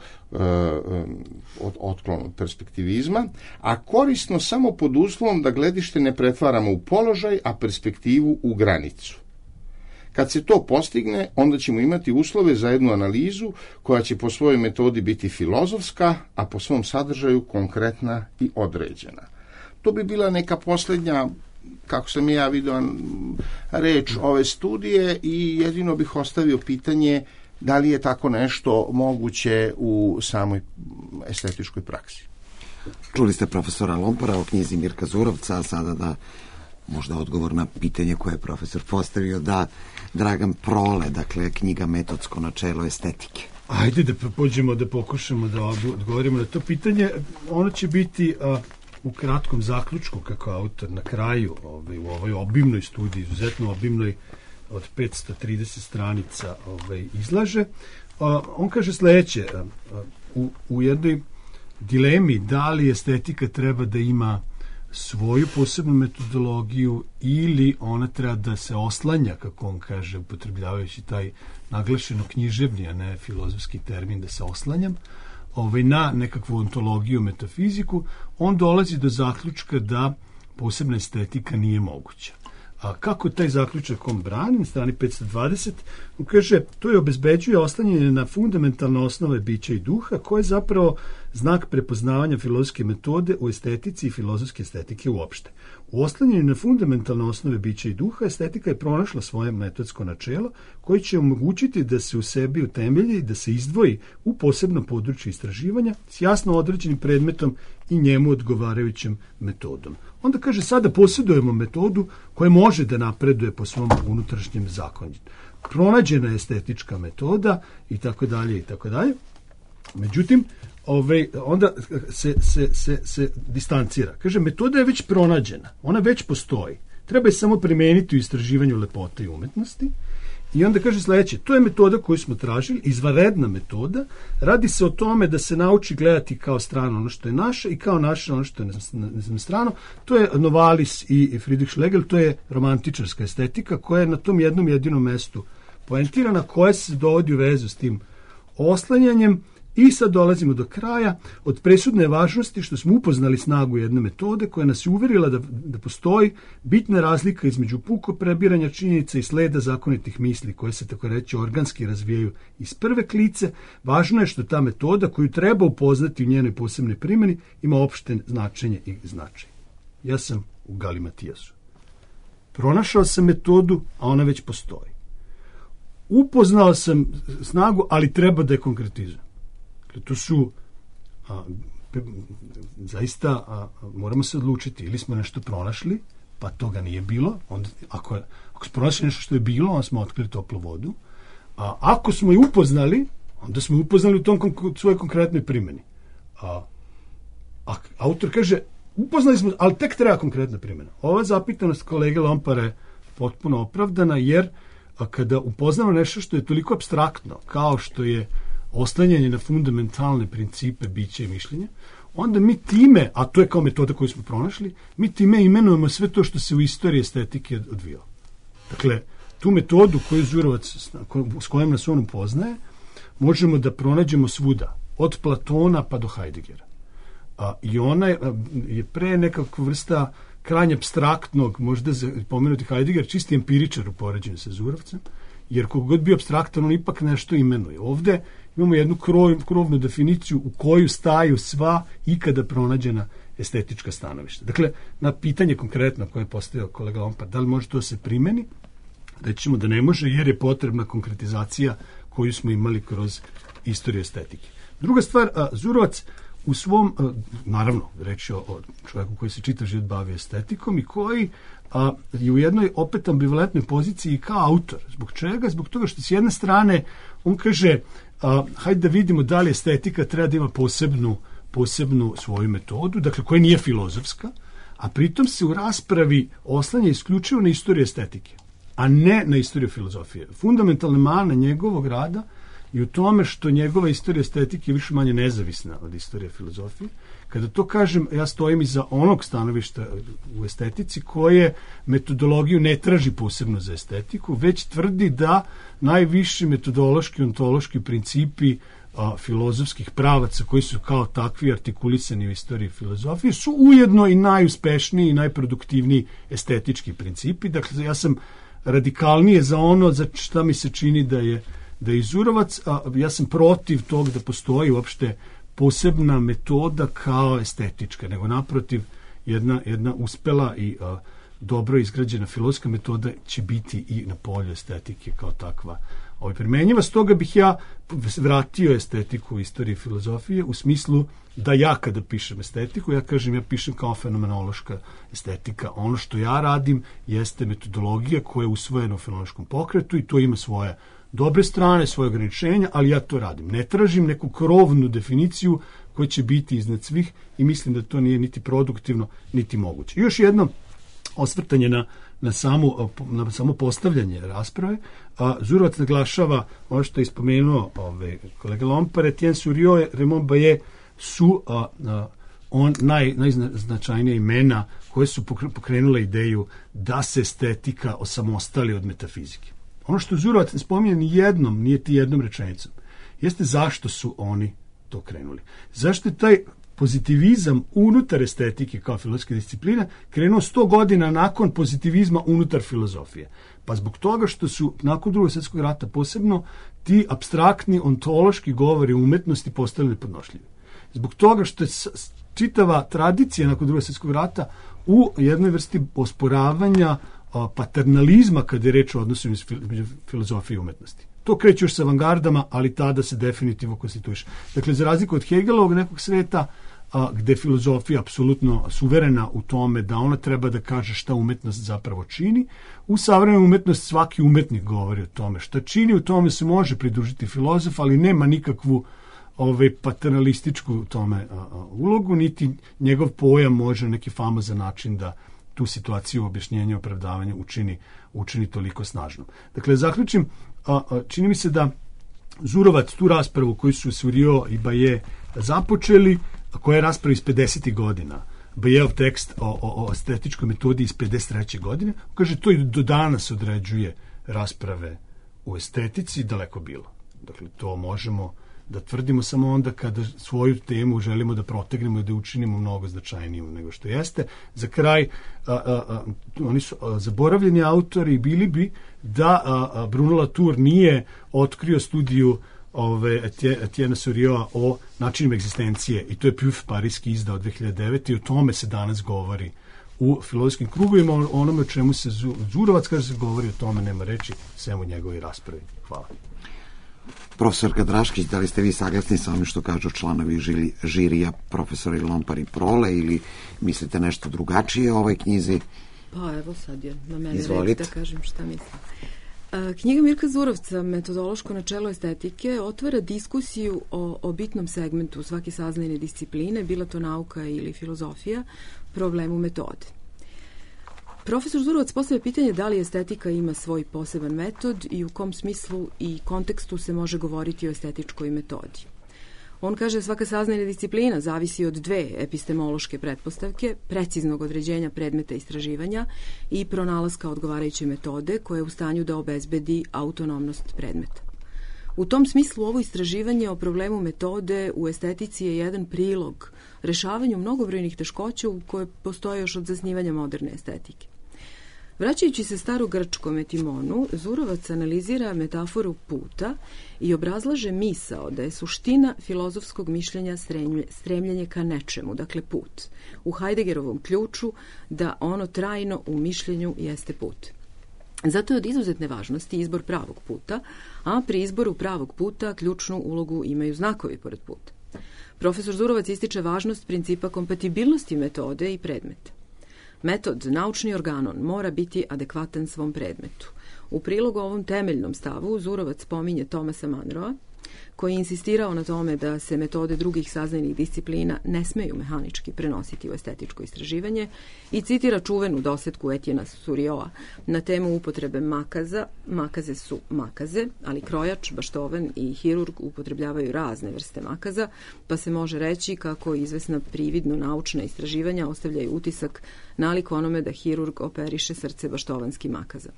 otklon od perspektivizma, a korisno samo pod uslovom da gledište ne pretvaramo u položaj, a perspektivu u granicu. Kad se to postigne, onda ćemo imati uslove za jednu analizu koja će po svojoj metodi biti filozofska, a po svom sadržaju konkretna i određena. To bi bila neka posljednja, kako sam ja vidio, reč ove studije i jedino bih ostavio pitanje da li je tako nešto moguće u samoj estetičkoj praksi. Čuli ste profesora Lompara o knjizi Mirka Zurovca, a sada da možda odgovor na pitanje koje je profesor postavio da Dragan Prole, dakle knjiga Metodsko načelo estetike. Ajde da pođemo da pokušamo da odgovorimo na to pitanje. Ono će biti u kratkom zaključku, kako autor na kraju u ovoj obimnoj studiji, izuzetno obimnoj, od 530 stranica izlaže. On kaže sledeće, u jednoj dilemi da li estetika treba da ima svoju posebnu metodologiju ili ona treba da se oslanja, kako on kaže, upotrebljavajući taj naglašeno književni, a ne filozofski termin da se oslanjam, na nekakvu ontologiju, metafiziku, on dolazi do zaključka da posebna estetika nije moguća. A kako taj zaključak on brani, na strani 520, on kaže, to je obezbeđuje oslanjanje na fundamentalne osnove bića i duha, koje je zapravo znak prepoznavanja filozofske metode u estetici i filozofske estetike uopšte. U oslanjanju na fundamentalne osnove bića i duha, estetika je pronašla svoje metodsko načelo, koje će omogućiti da se u sebi utemelji i da se izdvoji u posebno područje istraživanja s jasno određenim predmetom i njemu odgovarajućem metodom. Onda kaže, sada posjedujemo metodu koja može da napreduje po svom unutrašnjem zakonju. Pronađena je estetička metoda i tako dalje i tako dalje. Međutim, onda se distancira. Kaže, metoda je već pronađena, ona već postoji. Treba je samo primeniti u istraživanju lepote i umetnosti. I onda kaže sledeće, to je metoda koju smo tražili, izvanredna metoda, radi se o tome da se nauči gledati kao strano ono što je naše i kao naše ono što je strano. To je Novalis i Friedrich Schlegel, to je romantičarska estetika koja je na tom jednom jedinom mestu poentirana, koja se dovodi u vezu s tim oslanjanjem. I sad dolazimo do kraja. Od presudne važnosti što smo upoznali snagu jedne metode koja nas je uverila da postoji bitna razlika između puko prebiranja činjenica i sleda zakonitih misli koje se tako reći organski razvijaju iz prve klice. Važno je što ta metoda koju treba upoznati u njenoj posebnoj primjeni ima opšte značenje i značaj. Ja sam u Galimatijasu. Pronašao sam metodu, a ona već postoji. Upoznao sam snagu, ali treba da je konkretizujem. To su zaista moramo se odlučiti, ili smo nešto pronašli, pa toga nije bilo, onda, ako smo pronašli nešto što je bilo, onda smo otkrili toplu vodu, a ako smo je upoznali, onda smo je upoznali u tom svojoj konkretnoj primjeni. Autor kaže, upoznali smo, ali tek treba konkretna primjena. Ova zapitanost kolege Lompara je potpuno opravdana, jer kada upoznamo nešto što je toliko apstraktno, kao što je oslanjanje na fundamentalne principe bića i mišljenja, onda mi time, a to je kao metoda koju smo pronašli, mi time imenujemo sve to što se u istoriji estetike odvijalo. Dakle, tu metodu koju Zurovac, s kojom nas on upoznaje, možemo da pronađemo svuda, od Platona pa do Heideggera. I ona je pre nekakva vrsta krajnje apstraktnog, možda pomenuti Heidegger, čisti empiričar u poređenju sa Zurovcem, jer kogod bio apstraktan, on ipak nešto imenuje. Ovde imamo jednu krovnu definiciju u koju staju sva ikada pronađena estetička stanovišta. Dakle, na pitanje konkretno koje je postavio kolega Lompar, da li može to se primeni, reći ćemo da ne može, jer je potrebna konkretizacija koju smo imali kroz istoriju estetike. Druga stvar, Zurovac u svom, naravno, reći o čovjeku koji se čitav život bavi estetikom i koji je u jednoj opet ambivalentnoj poziciji kao autor. Zbog čega? Zbog toga što s jedne strane on kaže, hajde da vidimo da li estetika treba da ima posebnu svoju metodu, dakle koja nije filozofska, a pritom se u raspravi oslanja isključivo na istoriju estetike, a ne na istoriju filozofije. Fundamentalna mana njegovog rada i u tome što njegova istorija estetike je više manje nezavisna od istorije filozofije. Kada to kažem, ja stojim iza onog stanovišta u estetici koje metodologiju ne traži posebno za estetiku, već tvrdi da najviši metodološki, ontološki principi filozofskih pravaca koji su kao takvi artikulisani u istoriji filozofije su ujedno i najuspešniji i najproduktivniji estetički principi. Dakle, ja sam radikalnije za ono za šta mi se čini da je Zurovac, a ja sam protiv tog da postoji uopšte posebna metoda kao estetička, nego naprotiv jedna uspela i dobro izgrađena filozofska metoda će biti i na polju estetike kao takva primenjiva. Stoga bih ja vratio estetiku u istoriji filozofije u smislu da ja kada pišem estetiku, ja kažem ja pišem kao fenomenološka estetika. Ono što ja radim jeste metodologija koja je usvojena u fenomenološkom pokretu i to ima svoje dobre strane, svoje ograničenja, ali ja to radim. Ne tražim neku krovnu definiciju koja će biti iznad svih i mislim da to nije niti produktivno, niti moguće. I još jedno osvrtanje na samo postavljanje rasprave. Zurovac naglašava ono što je ispomenuo kolega Lompar, Etienne Souriau, Raymond Barré su najznačajnija imena koje su pokrenule ideju da se estetika osamostali od metafizike. Ono što Zurovac ne spominje ni jednom rečenicom, jeste zašto su oni to krenuli. Zašto je taj pozitivizam unutar estetike kao filozofske discipline krenuo 100 godina nakon pozitivizma unutar filozofije? Pa zbog toga što su nakon Drugog svjetskog rata posebno ti apstraktni ontološki govori umetnosti postali nepodnošljivi. Zbog toga što je čitava tradicija nakon Drugog svjetskog rata u jednoj vrsti osporavanja paternalizma kada je reč o odnosu između filozofije i umetnosti. To kreće još sa avangardama, ali tada se definitivno konstituiše. Dakle, za razliku od Hegelovog nekog sveta, gde je filozofija apsolutno suverena u tome da ona treba da kaže šta umetnost zapravo čini, u savremenoj umetnosti svaki umetnik govori o tome šta čini, u tome se može pridružiti filozof, ali nema nikakvu paternalističku tome ulogu, niti njegov pojam može neki famozan način da tu situaciju objašnjenja, opravdavanja učini toliko snažno. Dakle, zaključim, čini mi se da Zurovac tu raspravu koju su Surijo i Baje započeli, koja je rasprava iz 50. godina, Bajeov tekst o estetičkoj metodi iz 53. godine, kaže, to i do danas određuje rasprave u estetici, daleko bilo. Dakle, to možemo da tvrdimo samo onda kada svoju temu želimo da protegnemo i da učinimo mnogo značajnijom nego što jeste. Za kraj, oni su zaboravljeni autori, bili bi da Bruno Latour nije otkrio studiju Etienne Surijoa o načinima egzistencije, i to je Puf Pariski izdao 2009. i o tome se danas govori u filozofskim krugovima, onome o čemu se Zurovac kaže se govori, o tome nema reči, sem u njegovoj raspravi. Hvala. Profesorka Draškić, da li ste vi saglasni sa onim što kažu članovi žirija, profesori Lompar i Prole, ili mislite nešto drugačije o ovoj knjizi? Pa evo, sad je na mene reći da kažem šta mislim. Knjiga Mirka Zurovca, Metodološko načelo estetike, otvara diskusiju o bitnom segmentu svake saznajne discipline, bila to nauka ili filozofija, problemu metode. Profesor Zurovac postavlja pitanje da li estetika ima svoj poseban metod i u kom smislu i kontekstu se može govoriti o estetičkoj metodi. On kaže da svaka saznajna disciplina zavisi od dve epistemološke pretpostavke, preciznog određenja predmeta istraživanja i pronalaska odgovarajuće metode koja je u stanju da obezbedi autonomnost predmeta. U tom smislu ovo istraživanje o problemu metode u estetici je jedan prilog rešavanju mnogobrojnih teškoća u koje postoje još od zasnivanja moderne estetike. Vraćajući se starogrčkom etimonu, Zurovac analizira metaforu puta i obrazlaže misao da je suština filozofskog mišljenja stremljenje ka nečemu, dakle put. U Heideggerovom ključu da ono trajno u mišljenju jeste put. Zato je od izuzetne važnosti izbor pravog puta, a pri izboru pravog puta ključnu ulogu imaju znakovi pored puta. Profesor Zurovac ističe važnost principa kompatibilnosti metode i predmeta. Metod, naučni organon, mora biti adekvatan svom predmetu. U prilogu ovom temeljnom stavu Zurovac pominje Thomasa Munroa, koji je insistirao na tome da se metode drugih saznajnih disciplina ne smeju mehanički prenositi u estetičko istraživanje i citira čuvenu dosetku Etiena Surijoa na temu upotrebe makaza. Makaze su makaze, ali krojač, baštovan i hirurg upotrebljavaju razne vrste makaza, pa se može reći kako izvesna prividno naučna istraživanja ostavljaju utisak nalik onome da hirurg operiše srce baštovanskim makaza.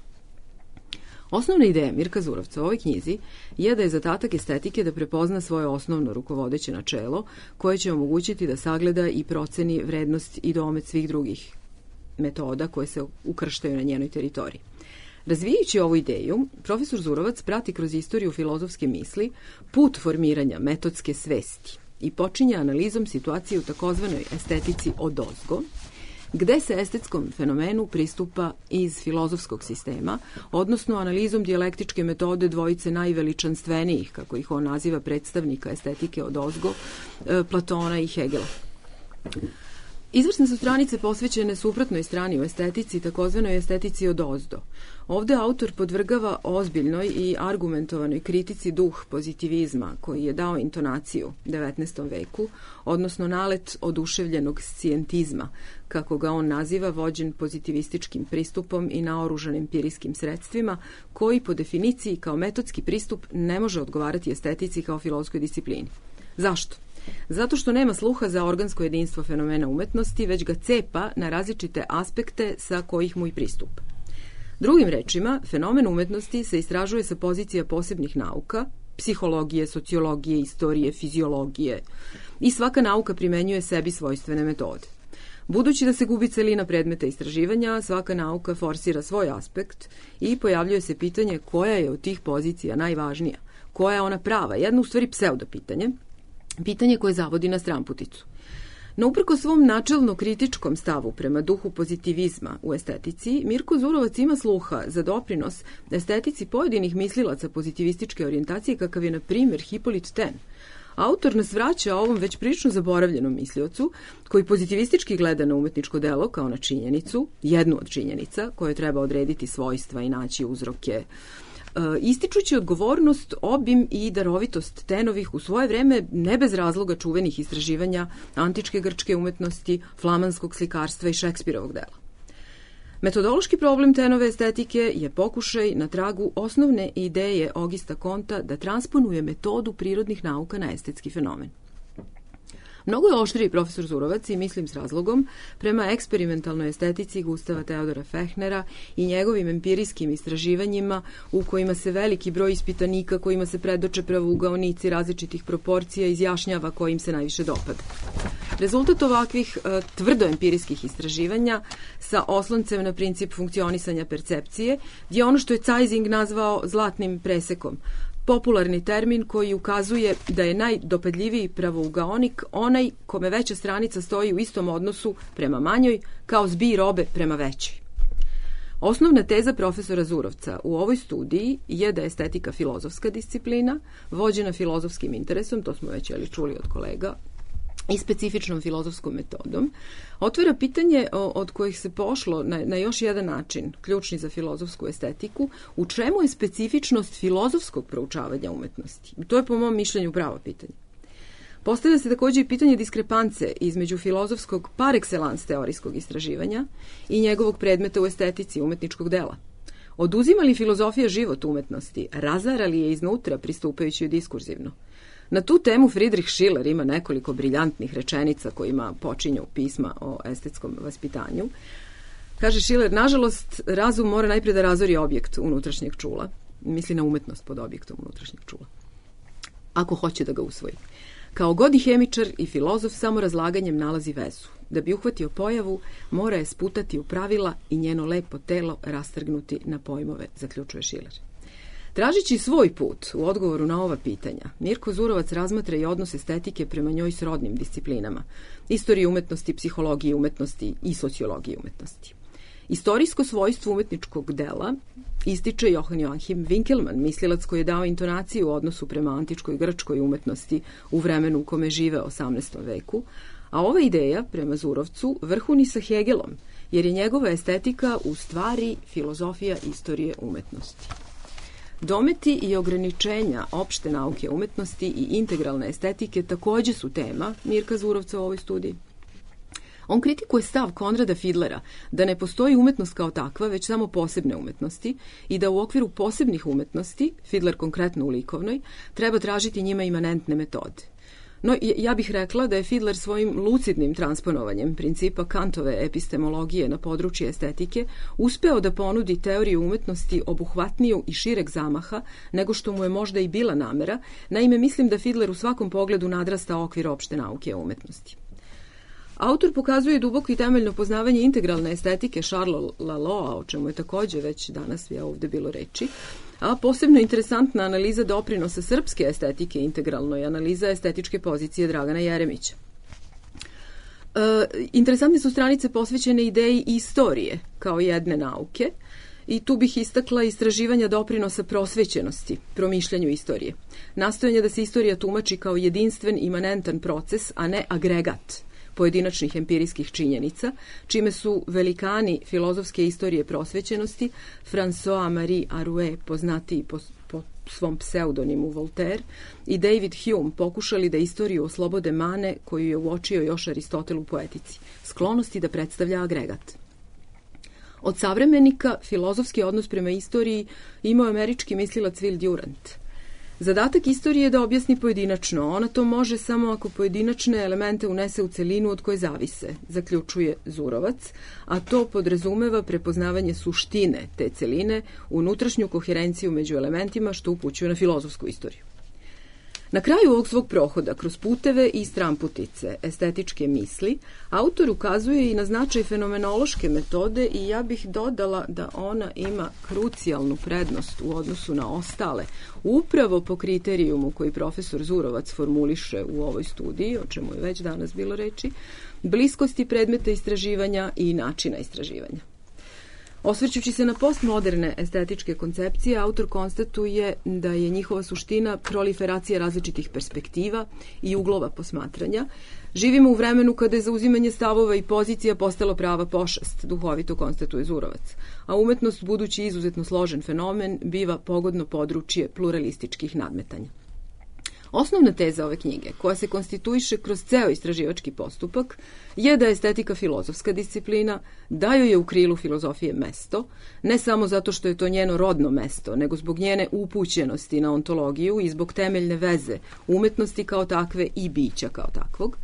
Osnovna ideja Mirka Zurovca u ovoj knjizi je da je zadatak estetike da prepozna svoje osnovno rukovodeće načelo koje će omogućiti da sagleda i proceni vrednost i domet svih drugih metoda koje se ukrštaju na njenoj teritoriji. Razvijajući ovu ideju, profesor Zurovac prati kroz istoriju filozofske misli put formiranja metodske svesti i počinje analizom situacije u takozvanoj estetici odozgo, gde se estetskom fenomenu pristupa iz filozofskog sistema, odnosno analizom dijalektičke metode dvojice najveličanstvenijih, kako ih on naziva, predstavnika estetike odozgo, Platona i Hegela. Izvrsne su stranice posvećene suprotnoj strani u estetici, takozvanoj estetici odozdo. Ovde autor podvrgava ozbiljnoj i argumentovanoj kritici duh pozitivizma koji je dao intonaciju 19. veku, odnosno nalet oduševljenog scijentizma, kako ga on naziva, vođen pozitivističkim pristupom i naoružan empirijskim sredstvima, koji po definiciji kao metodski pristup ne može odgovarati estetici kao filozofskoj disciplini. Zašto? Zato što nema sluha za organsko jedinstvo fenomena umetnosti, već ga cepa na različite aspekte sa kojih mu i pristupa. Drugim rečima, fenomen umetnosti se istražuje sa pozicija posebnih nauka, psihologije, sociologije, istorije, fiziologije, i svaka nauka primenjuje sebi svojstvene metode. Budući da se gubi celina predmeta istraživanja, svaka nauka forsira svoj aspekt i pojavljuje se pitanje koja je od tih pozicija najvažnija, koja je ona prava, jedno u stvari pseudo pitanje koje zavodi na stranputicu. No uprko svom načelno kritičkom stavu prema duhu pozitivizma u estetici, Mirko Zurovac ima sluha za doprinos estetici pojedinih mislilaca pozitivističke orijentacije, kakav je, na primjer, Hippolyte Taine. Autor nas vraća ovom već prilično zaboravljenom misliocu, koji pozitivistički gleda na umetničko delo kao na činjenicu, jednu od činjenica, koje treba odrediti svojstva i naći uzroke ističući odgovornost, obim i darovitost Tenovih u svoje vreme ne bez razloga čuvenih istraživanja antičke grčke umetnosti, flamanskog slikarstva i Šekspirovog dela. Metodološki problem Tenove estetike je pokušaj na tragu osnovne ideje Augusta Comtea da transponuje metodu prirodnih nauka na estetski fenomen. Mnogo je oštriji profesor Zurovac i mislim s razlogom prema eksperimentalnoj estetici Gustava Teodora Fechnera i njegovim empirijskim istraživanjima u kojima se veliki broj ispitanika kojima se predoče pravougaonici različitih proporcija izjašnjava kojim se najviše dopada. Rezultat ovakvih tvrdo empirijskih istraživanja sa osloncem na princip funkcionisanja percepcije je ono što je Zeising nazvao zlatnim presekom, popularni termin koji ukazuje da je najdopadljiviji pravougaonik onaj kome veća stranica stoji u istom odnosu prema manjoj kao zbir robe prema većoj. Osnovna teza profesora Zurovca u ovoj studiji je da je estetika filozofska disciplina, vođena filozofskim interesom, to smo već čuli od kolega, i specifičnom filozofskom metodom, otvara pitanje od kojih se pošlo na još jedan način, ključni za filozofsku estetiku, u čemu je specifičnost filozofskog proučavanja umetnosti. To je po mom mišljenju pravo pitanje. Postavlja se također i pitanje diskrepance između filozofskog par excellence teorijskog istraživanja i njegovog predmeta u estetici umetničkog dela. Oduzima li filozofija život umetnosti, razara li je iznutra pristupajući diskurzivno? Na tu temu Friedrich Schiller ima nekoliko briljantnih rečenica kojima počinju pisma o estetskom vaspitanju. Kaže Schiller, nažalost, razum mora najprije da razori objekt unutrašnjeg čula. Misli na umetnost pod objektom unutrašnjeg čula. Ako hoće da ga usvoji. Kao god i hemičar i filozof samo razlaganjem nalazi vezu. Da bi uhvatio pojavu, mora je sputati u pravila i njeno lepo telo rastrgnuti na pojmove, zaključuje Schiller. Tražići svoj put u odgovoru na ova pitanja, Mirko Zurovac razmatra i odnos estetike prema njoj srodnim disciplinama, istorije umetnosti, psihologije umetnosti i sociologije umetnosti. Istorijsko svojstvo umetničkog dela ističe Joachim Winckelmann, mislilac koji je dao intonaciju u odnosu prema antičkoj grčkoj umetnosti u vremenu u kome žive 18. veku, a ova ideja, prema Zurovcu, vrhuni sa Hegelom, jer je njegova estetika u stvari filozofija istorije umetnosti. Dometi i ograničenja opšte nauke umetnosti i integralne estetike također su tema Mirka Zurovca u ovoj studiji. On kritikuje stav Konrada Fidlera da ne postoji umetnost kao takva, već samo posebne umetnosti i da u okviru posebnih umetnosti, Fidler konkretno u likovnoj, treba tražiti njima imanentne metode. No, ja bih rekla da je Fidler svojim lucidnim transponovanjem principa Kantove epistemologije na područje estetike uspeo da ponudi teoriju umetnosti obuhvatniju i šireg zamaha nego što mu je možda i bila namera. Naime, mislim da Fidler u svakom pogledu nadrasta okvir opšte nauke o umetnosti. Autor pokazuje duboko i temeljno poznavanje integralne estetike Charlesa Laloa, o čemu je također već danas ovdje bilo reči, a posebno interesantna analiza doprinosa srpske estetike integralno je analiza estetičke pozicije Dragana Jeremića. Interesantne su stranice posvećene ideji istorije kao jedne nauke i tu bih istakla istraživanja doprinosa prosvećenosti, promišljanju istorije. Nastojanje da se istorija tumači kao jedinstven, imanentan proces, a ne agregat pojedinačnih empirijskih činjenica, čime su velikani filozofske istorije prosvećenosti, François-Marie Arouet, poznatiji po svom pseudonimu Voltaire, i David Hume pokušali da istoriju oslobode mane koju je uočio još Aristotel u poetici, sklonosti da predstavlja agregat. Od savremenika filozofski odnos prema istoriji imao američki mislilac Will Durant. Zadatak istorije je da objasni pojedinačno. Ona to može samo ako pojedinačne elemente unese u celinu od koje zavise, zaključuje Zurovac, a to podrazumeva prepoznavanje suštine te celine, unutrašnju koherenciju među elementima, što upućuje na filozofsku istoriju. Na kraju ovog svog prohoda, kroz puteve i stramputice estetičke misli, autor ukazuje i na značaj fenomenološke metode i ja bih dodala da ona ima krucijalnu prednost u odnosu na ostale, upravo po kriterijumu koji profesor Zurovac formuliše u ovoj studiji, o čemu je već danas bilo reči, bliskosti predmeta istraživanja i načina istraživanja. Osvrćući se na postmoderne estetičke koncepcije, autor konstatuje da je njihova suština proliferacija različitih perspektiva i uglova posmatranja. Živimo u vremenu kada je zauzimanje stavova i pozicija postalo prava pošast, duhovito konstatuje Zurovac, a umetnost, budući izuzetno složen fenomen, biva pogodno područje pluralističkih nadmetanja. Osnovna teza ove knjige, koja se konstituiše kroz ceo istraživački postupak, je da je estetika filozofska disciplina, da joj je u krilu filozofije mesto, ne samo zato što je to njeno rodno mesto, nego zbog njene upućenosti na ontologiju i zbog temeljne veze umetnosti kao takve i bića kao takvog.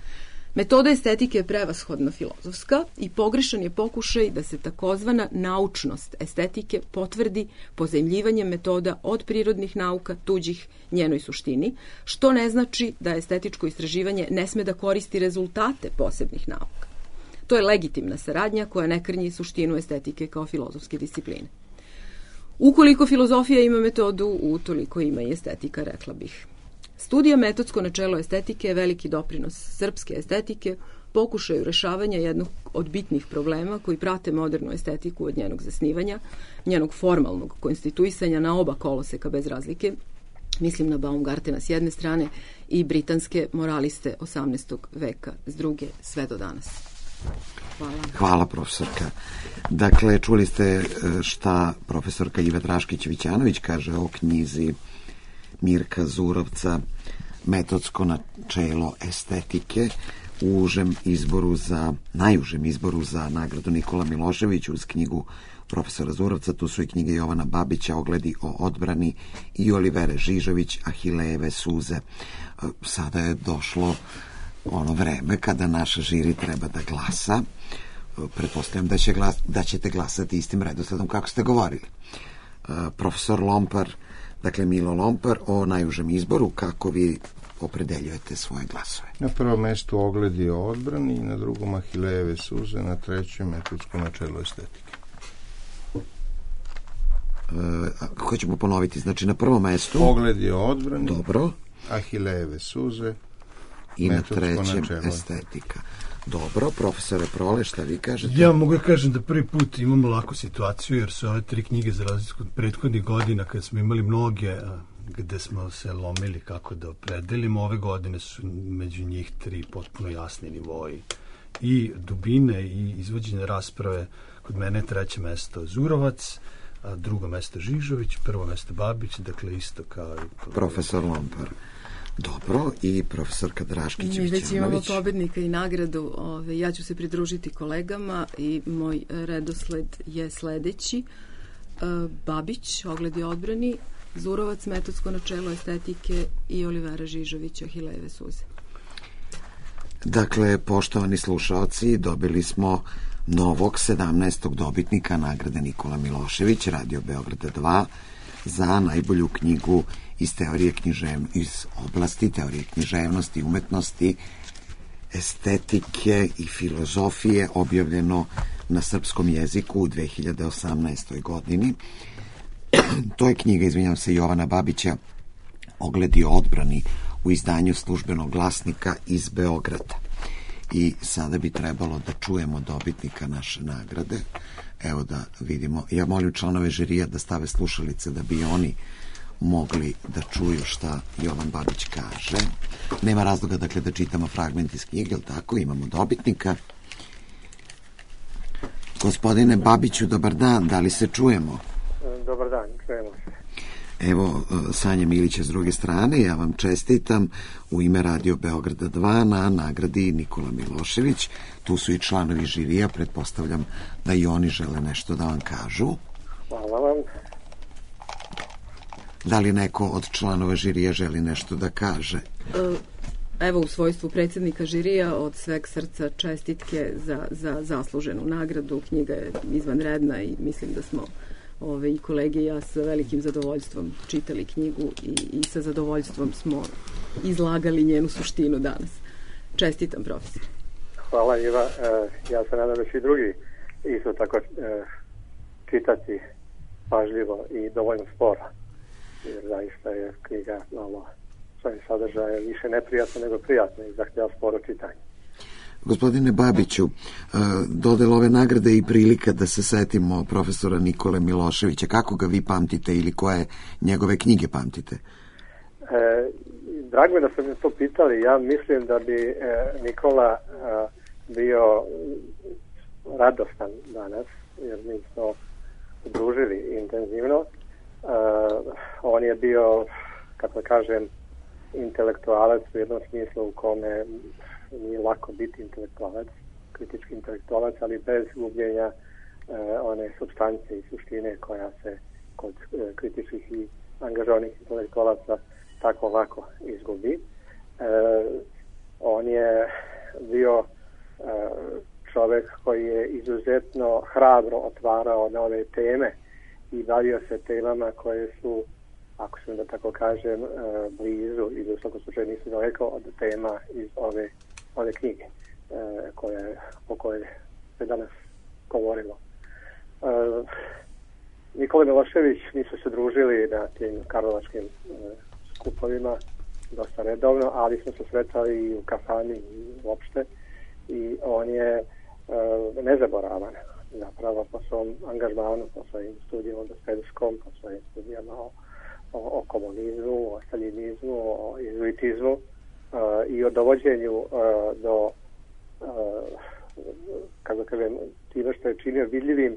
Metoda estetike je prevashodno filozofska i pogrešan je pokušaj da se takozvana naučnost estetike potvrdi pozajmljivanjem metoda od prirodnih nauka, tuđih njenoj suštini, što ne znači da estetičko istraživanje ne sme da koristi rezultate posebnih nauka. To je legitimna saradnja koja ne krnji suštinu estetike kao filozofske discipline. Ukoliko filozofija ima metodu, utoliko ima i estetika, rekla bih. Studija Metodsko načelo estetike je veliki doprinos srpske estetike, pokušaju rešavanja jednog od bitnih problema koji prate modernu estetiku od njenog zasnivanja, njenog formalnog konstituisanja na oba koloseka bez razlike, mislim na Baumgartena s jedne strane i britanske moraliste 18. veka s druge, sve do danas. Hvala. Hvala, profesorka. Dakle, čuli ste šta profesorka Iva Draškić-Vićanović kaže o knjizi Mirka Zurovca Metodsko načelo estetike u najužem izboru za nagradu Nikola Milošević uz knjigu profesora Zurovca. Tu su i knjige Jovana Babića, Ogledi o odbrani, i Olivere Žižović, Ahilejeve suze. Sada je došlo ono vreme kada naša žiri treba da glasa. Pretpostavljam da ćete glasati istim redosledom kako ste govorili. Profesor Lompar, dakle Milo Lompar, o najužem izboru, kako vi opredeljujete svoje glasove? Na prvom mestu Ogledi o odbrani, na drugom Ahilejeve suze, na trećem Metodsko načelo estetike. Hoćemo ponoviti, znači na prvom mestu Ogledi o odbrani, dobro, Ahilejeve suze i na trećem estetika. Dobro, profesore Prole, šta vi kažete? Ja mogu da kažem da prvi put imamo laku situaciju, jer su ove tri knjige za razliku od prethodnih godina, kada smo imali mnoge gde smo se lomili kako da opredelimo. Ove godine su među njih tri potpuno jasni nivoji i dubine i izvođenja rasprave. Kod mene je treće mesto Zurovac, a drugo mesto Žižović, prvo mesto Babić, dakle isto kao i profesor Lompar. Dobro, i profesorka Draškić-Vićanović. Mi već imamo pobednika i nagradu. Ja ću se pridružiti kolegama i moj redosled je sledeći. Babić, Ogledi odbrani, Zurovac, Metodsko načelo estetike i Olivera Žižović, Ahilejeve suze. Dakle, poštovani slušaoci, dobili smo novog 17. dobitnika nagrade Nikola Milošević, Radio Beograda 2, za najbolju knjigu iz oblasti teorije književnosti, umetnosti, estetike i filozofije, objavljeno na srpskom jeziku u 2018. godini. To je knjiga, izvinjam se, Jovana Babića, Ogledi o odbrani, u izdanju Službenog glasnika iz Beograda. I sada bi trebalo da čujemo dobitnika naše nagrade. Evo da vidimo. Ja molim članove žirija da stave slušalice da bi oni mogli da čuju šta Jovan Babić kaže. Nema razloga, dakle, da čitamo fragment iz knjige, ali tako, imamo dobitnika. Gospodine Babiću, dobar dan, da li se čujemo? Dobar dan, čujemo se. Evo, Sanja Milića s druge strane, ja vam čestitam u ime Radio Beograda 2 na nagradi Nikola Milošević. Tu su i članovi žirija, pretpostavljam da i oni žele nešto da vam kažu. Hvala vam. Da li neko od članova žirija želi nešto da kaže? Evo, u svojstvu predsjednika žirija, od sveg srca čestitke za zasluženu nagradu. Knjiga je izvanredna i mislim da smo i kolege i ja sa velikim zadovoljstvom čitali knjigu i sa zadovoljstvom smo izlagali njenu suštinu danas. Čestitam, profesor. Hvala, Iva. Ja se nadam da će i drugi isto tako čitati pažljivo i dovoljno sporo, jer zaista je knjiga malo svojim sadržajem više neprijatno nego prijatno i zahtjeva sporo čitanje. Gospodine Babiću, dodela ove nagrade i prilika da se setimo profesora Nikole Miloševića. Kako ga vi pamtite ili koje njegove knjige pamtite? Drago je da ste me to pitali. Ja mislim da bi Nikola bio radostan danas, jer mi smo družili intenzivno. On je bio, kako kažem, intelektualac u jednom smislu u kome nije lako biti intelektualac, kritički intelektualac, ali bez gubljenja one supstance i suštine koja se kod kritičkih i angažovanih intelektualaca tako lako izgubi. On je bio čovjek koji je izuzetno hrabro otvarao nove teme i bavio se temama koje su, ako sam da tako kažem, blizu ili u svakom slučaju nisu daleko od tema iz ove knjige o kojoj se danas govorilo. Nikola Milošević, mi su se družili na tim karlovačkim skupovima dosta redovno, ali smo se sretali i u kafani i uopšte, i on je nezaboravan zapravo po svom angažmanu, po svojim studijama o Dostojevskom, po svojim studijama o komunizmu, o staljinizmu, o jezuitizmu i o dovođenju do, kako kažem, time što je činio vidljivim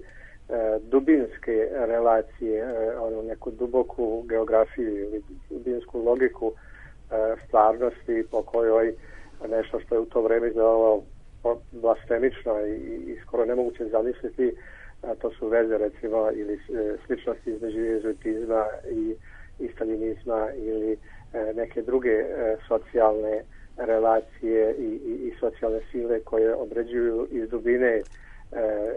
dubinske relacije, onu neku duboku geografiju ili dubinsku logiku stvarnosti po kojoj nešto što je u to vreme izgledalo blasfemično i skoro nemoguće zamisliti, to su veze recimo ili sličnosti između jezuitizma i staljinizma ili neke druge socijalne relacije i socijalne sile koje određuju iz dubine,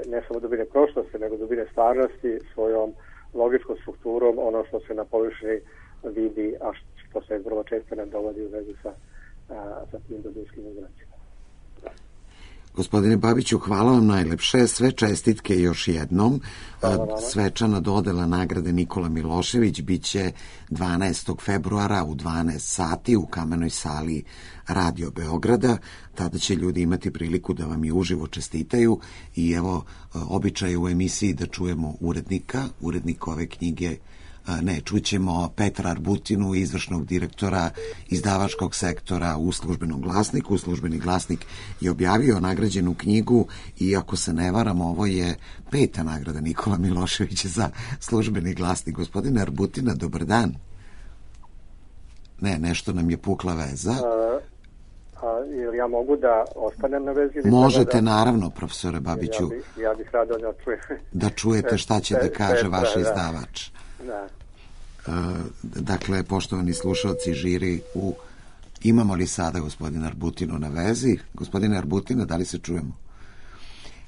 ne samo dubine prošlosti, nego dubine stvarnosti svojom logičkom strukturom ono što se na površini vidi, a što se vrlo često ne dovodi u vezu sa tim dubinskim uzracima. Gospodine Babiću, hvala vam najlepše, sve čestitke još jednom. Svečana dodela nagrade Nikola Milošević biće 12. februara u 12 sati u Kamenoj sali Radio Beograda. Tada će ljudi imati priliku da vam i uživo čestitaju i evo običaj u emisiji da čujemo urednika ove knjige. Ne, čućemo Petra Arbutinu, izvršnog direktora izdavačkog sektora u Službenom glasniku. Službeni glasnik je objavio nagrađenu knjigu i ako se ne varam, ovo je 5. nagrada Nikola Miloševića za Službeni glasnik. Gospodine Arbutina, dobar dan. Ne, nešto nam je pukla veza. Ili ja mogu da ostanem na vezi? Možete, naravno, profesore Babiću. Ja bih rado da čujem. Da čujete šta će da kaže vaš izdavač. Da. Dakle, poštovani slušalci, žiri, imamo li sada gospodina Arbutinu na vezi? Gospodine Arbutina, da li se čujemo?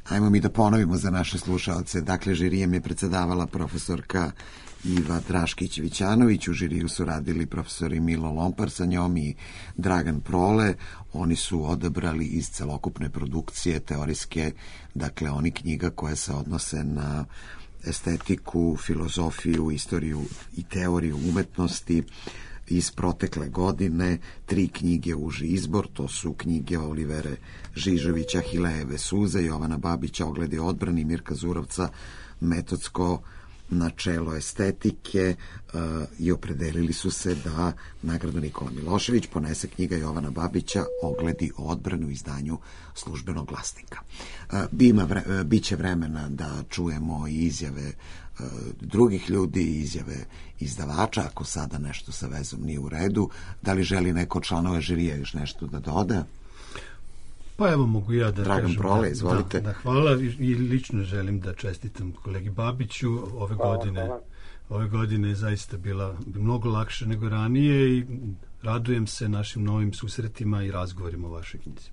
Ajmo mi da ponovimo za naše slušalce. Dakle, žirijem je predsedavala profesorka Iva Draškić-Vićanović, u žiriju su radili profesori Milo Lompar sa njom i Dragan Prole. Oni su odabrali iz celokupne produkcije teorijske, dakle, oni knjiga koje se odnose na estetiku, filozofiju, istoriju i teoriju umetnosti iz protekle godine. 3 knjige uži izbor, to su knjige Olivere Žižovića, Hilejeve suze, Jovana Babića, Ogledi odbrani, Mirka Zurovca, Metodsko načelo estetike, i opredelili su se da nagradu Nikola Milošević ponese knjiga Jovana Babića Ogledi odbranu u izdanju Službenog glasnika. Biće vremena da čujemo i izjave drugih ljudi, izjave izdavača, ako sada nešto sa vezom nije u redu. Da li želi neko od članova žirija još nešto da doda? Pa evo, mogu ja da Dragan kažem. Prole, izvolite. Da, hvala i lično želim da čestitam kolegi Babiću. Ove godine je zaista bila mnogo lakše nego ranije i radujem se našim novim susretima i razgovorima o vašoj knjizi.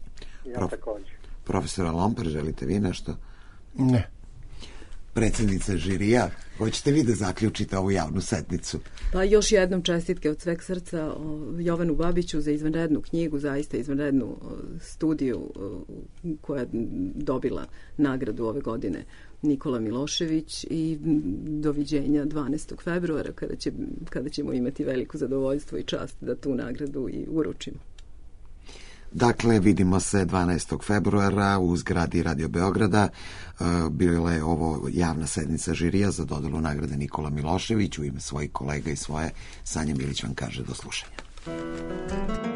Ja također. Profesora Lompar, želite vi nešto? Ne. Predsjednica žirija, hoćete vi da zaključite ovu javnu sednicu? Pa još jednom čestitke od sveg srca Jovanu Babiću za izvanrednu knjigu, zaista izvanrednu studiju koja je dobila nagradu ove godine Nikola Milošević, i doviđenja 12. februara kada ćemo imati veliko zadovoljstvo i čast da tu nagradu i uručimo. Dakle, vidimo se 12. februara u zgradi Radio Beograda. Bila je ovo javna sednica žirija za dodelu nagrade Nikola Milošević. U ime svojih kolega i svoje, Sanja Milić vam kaže do slušanja.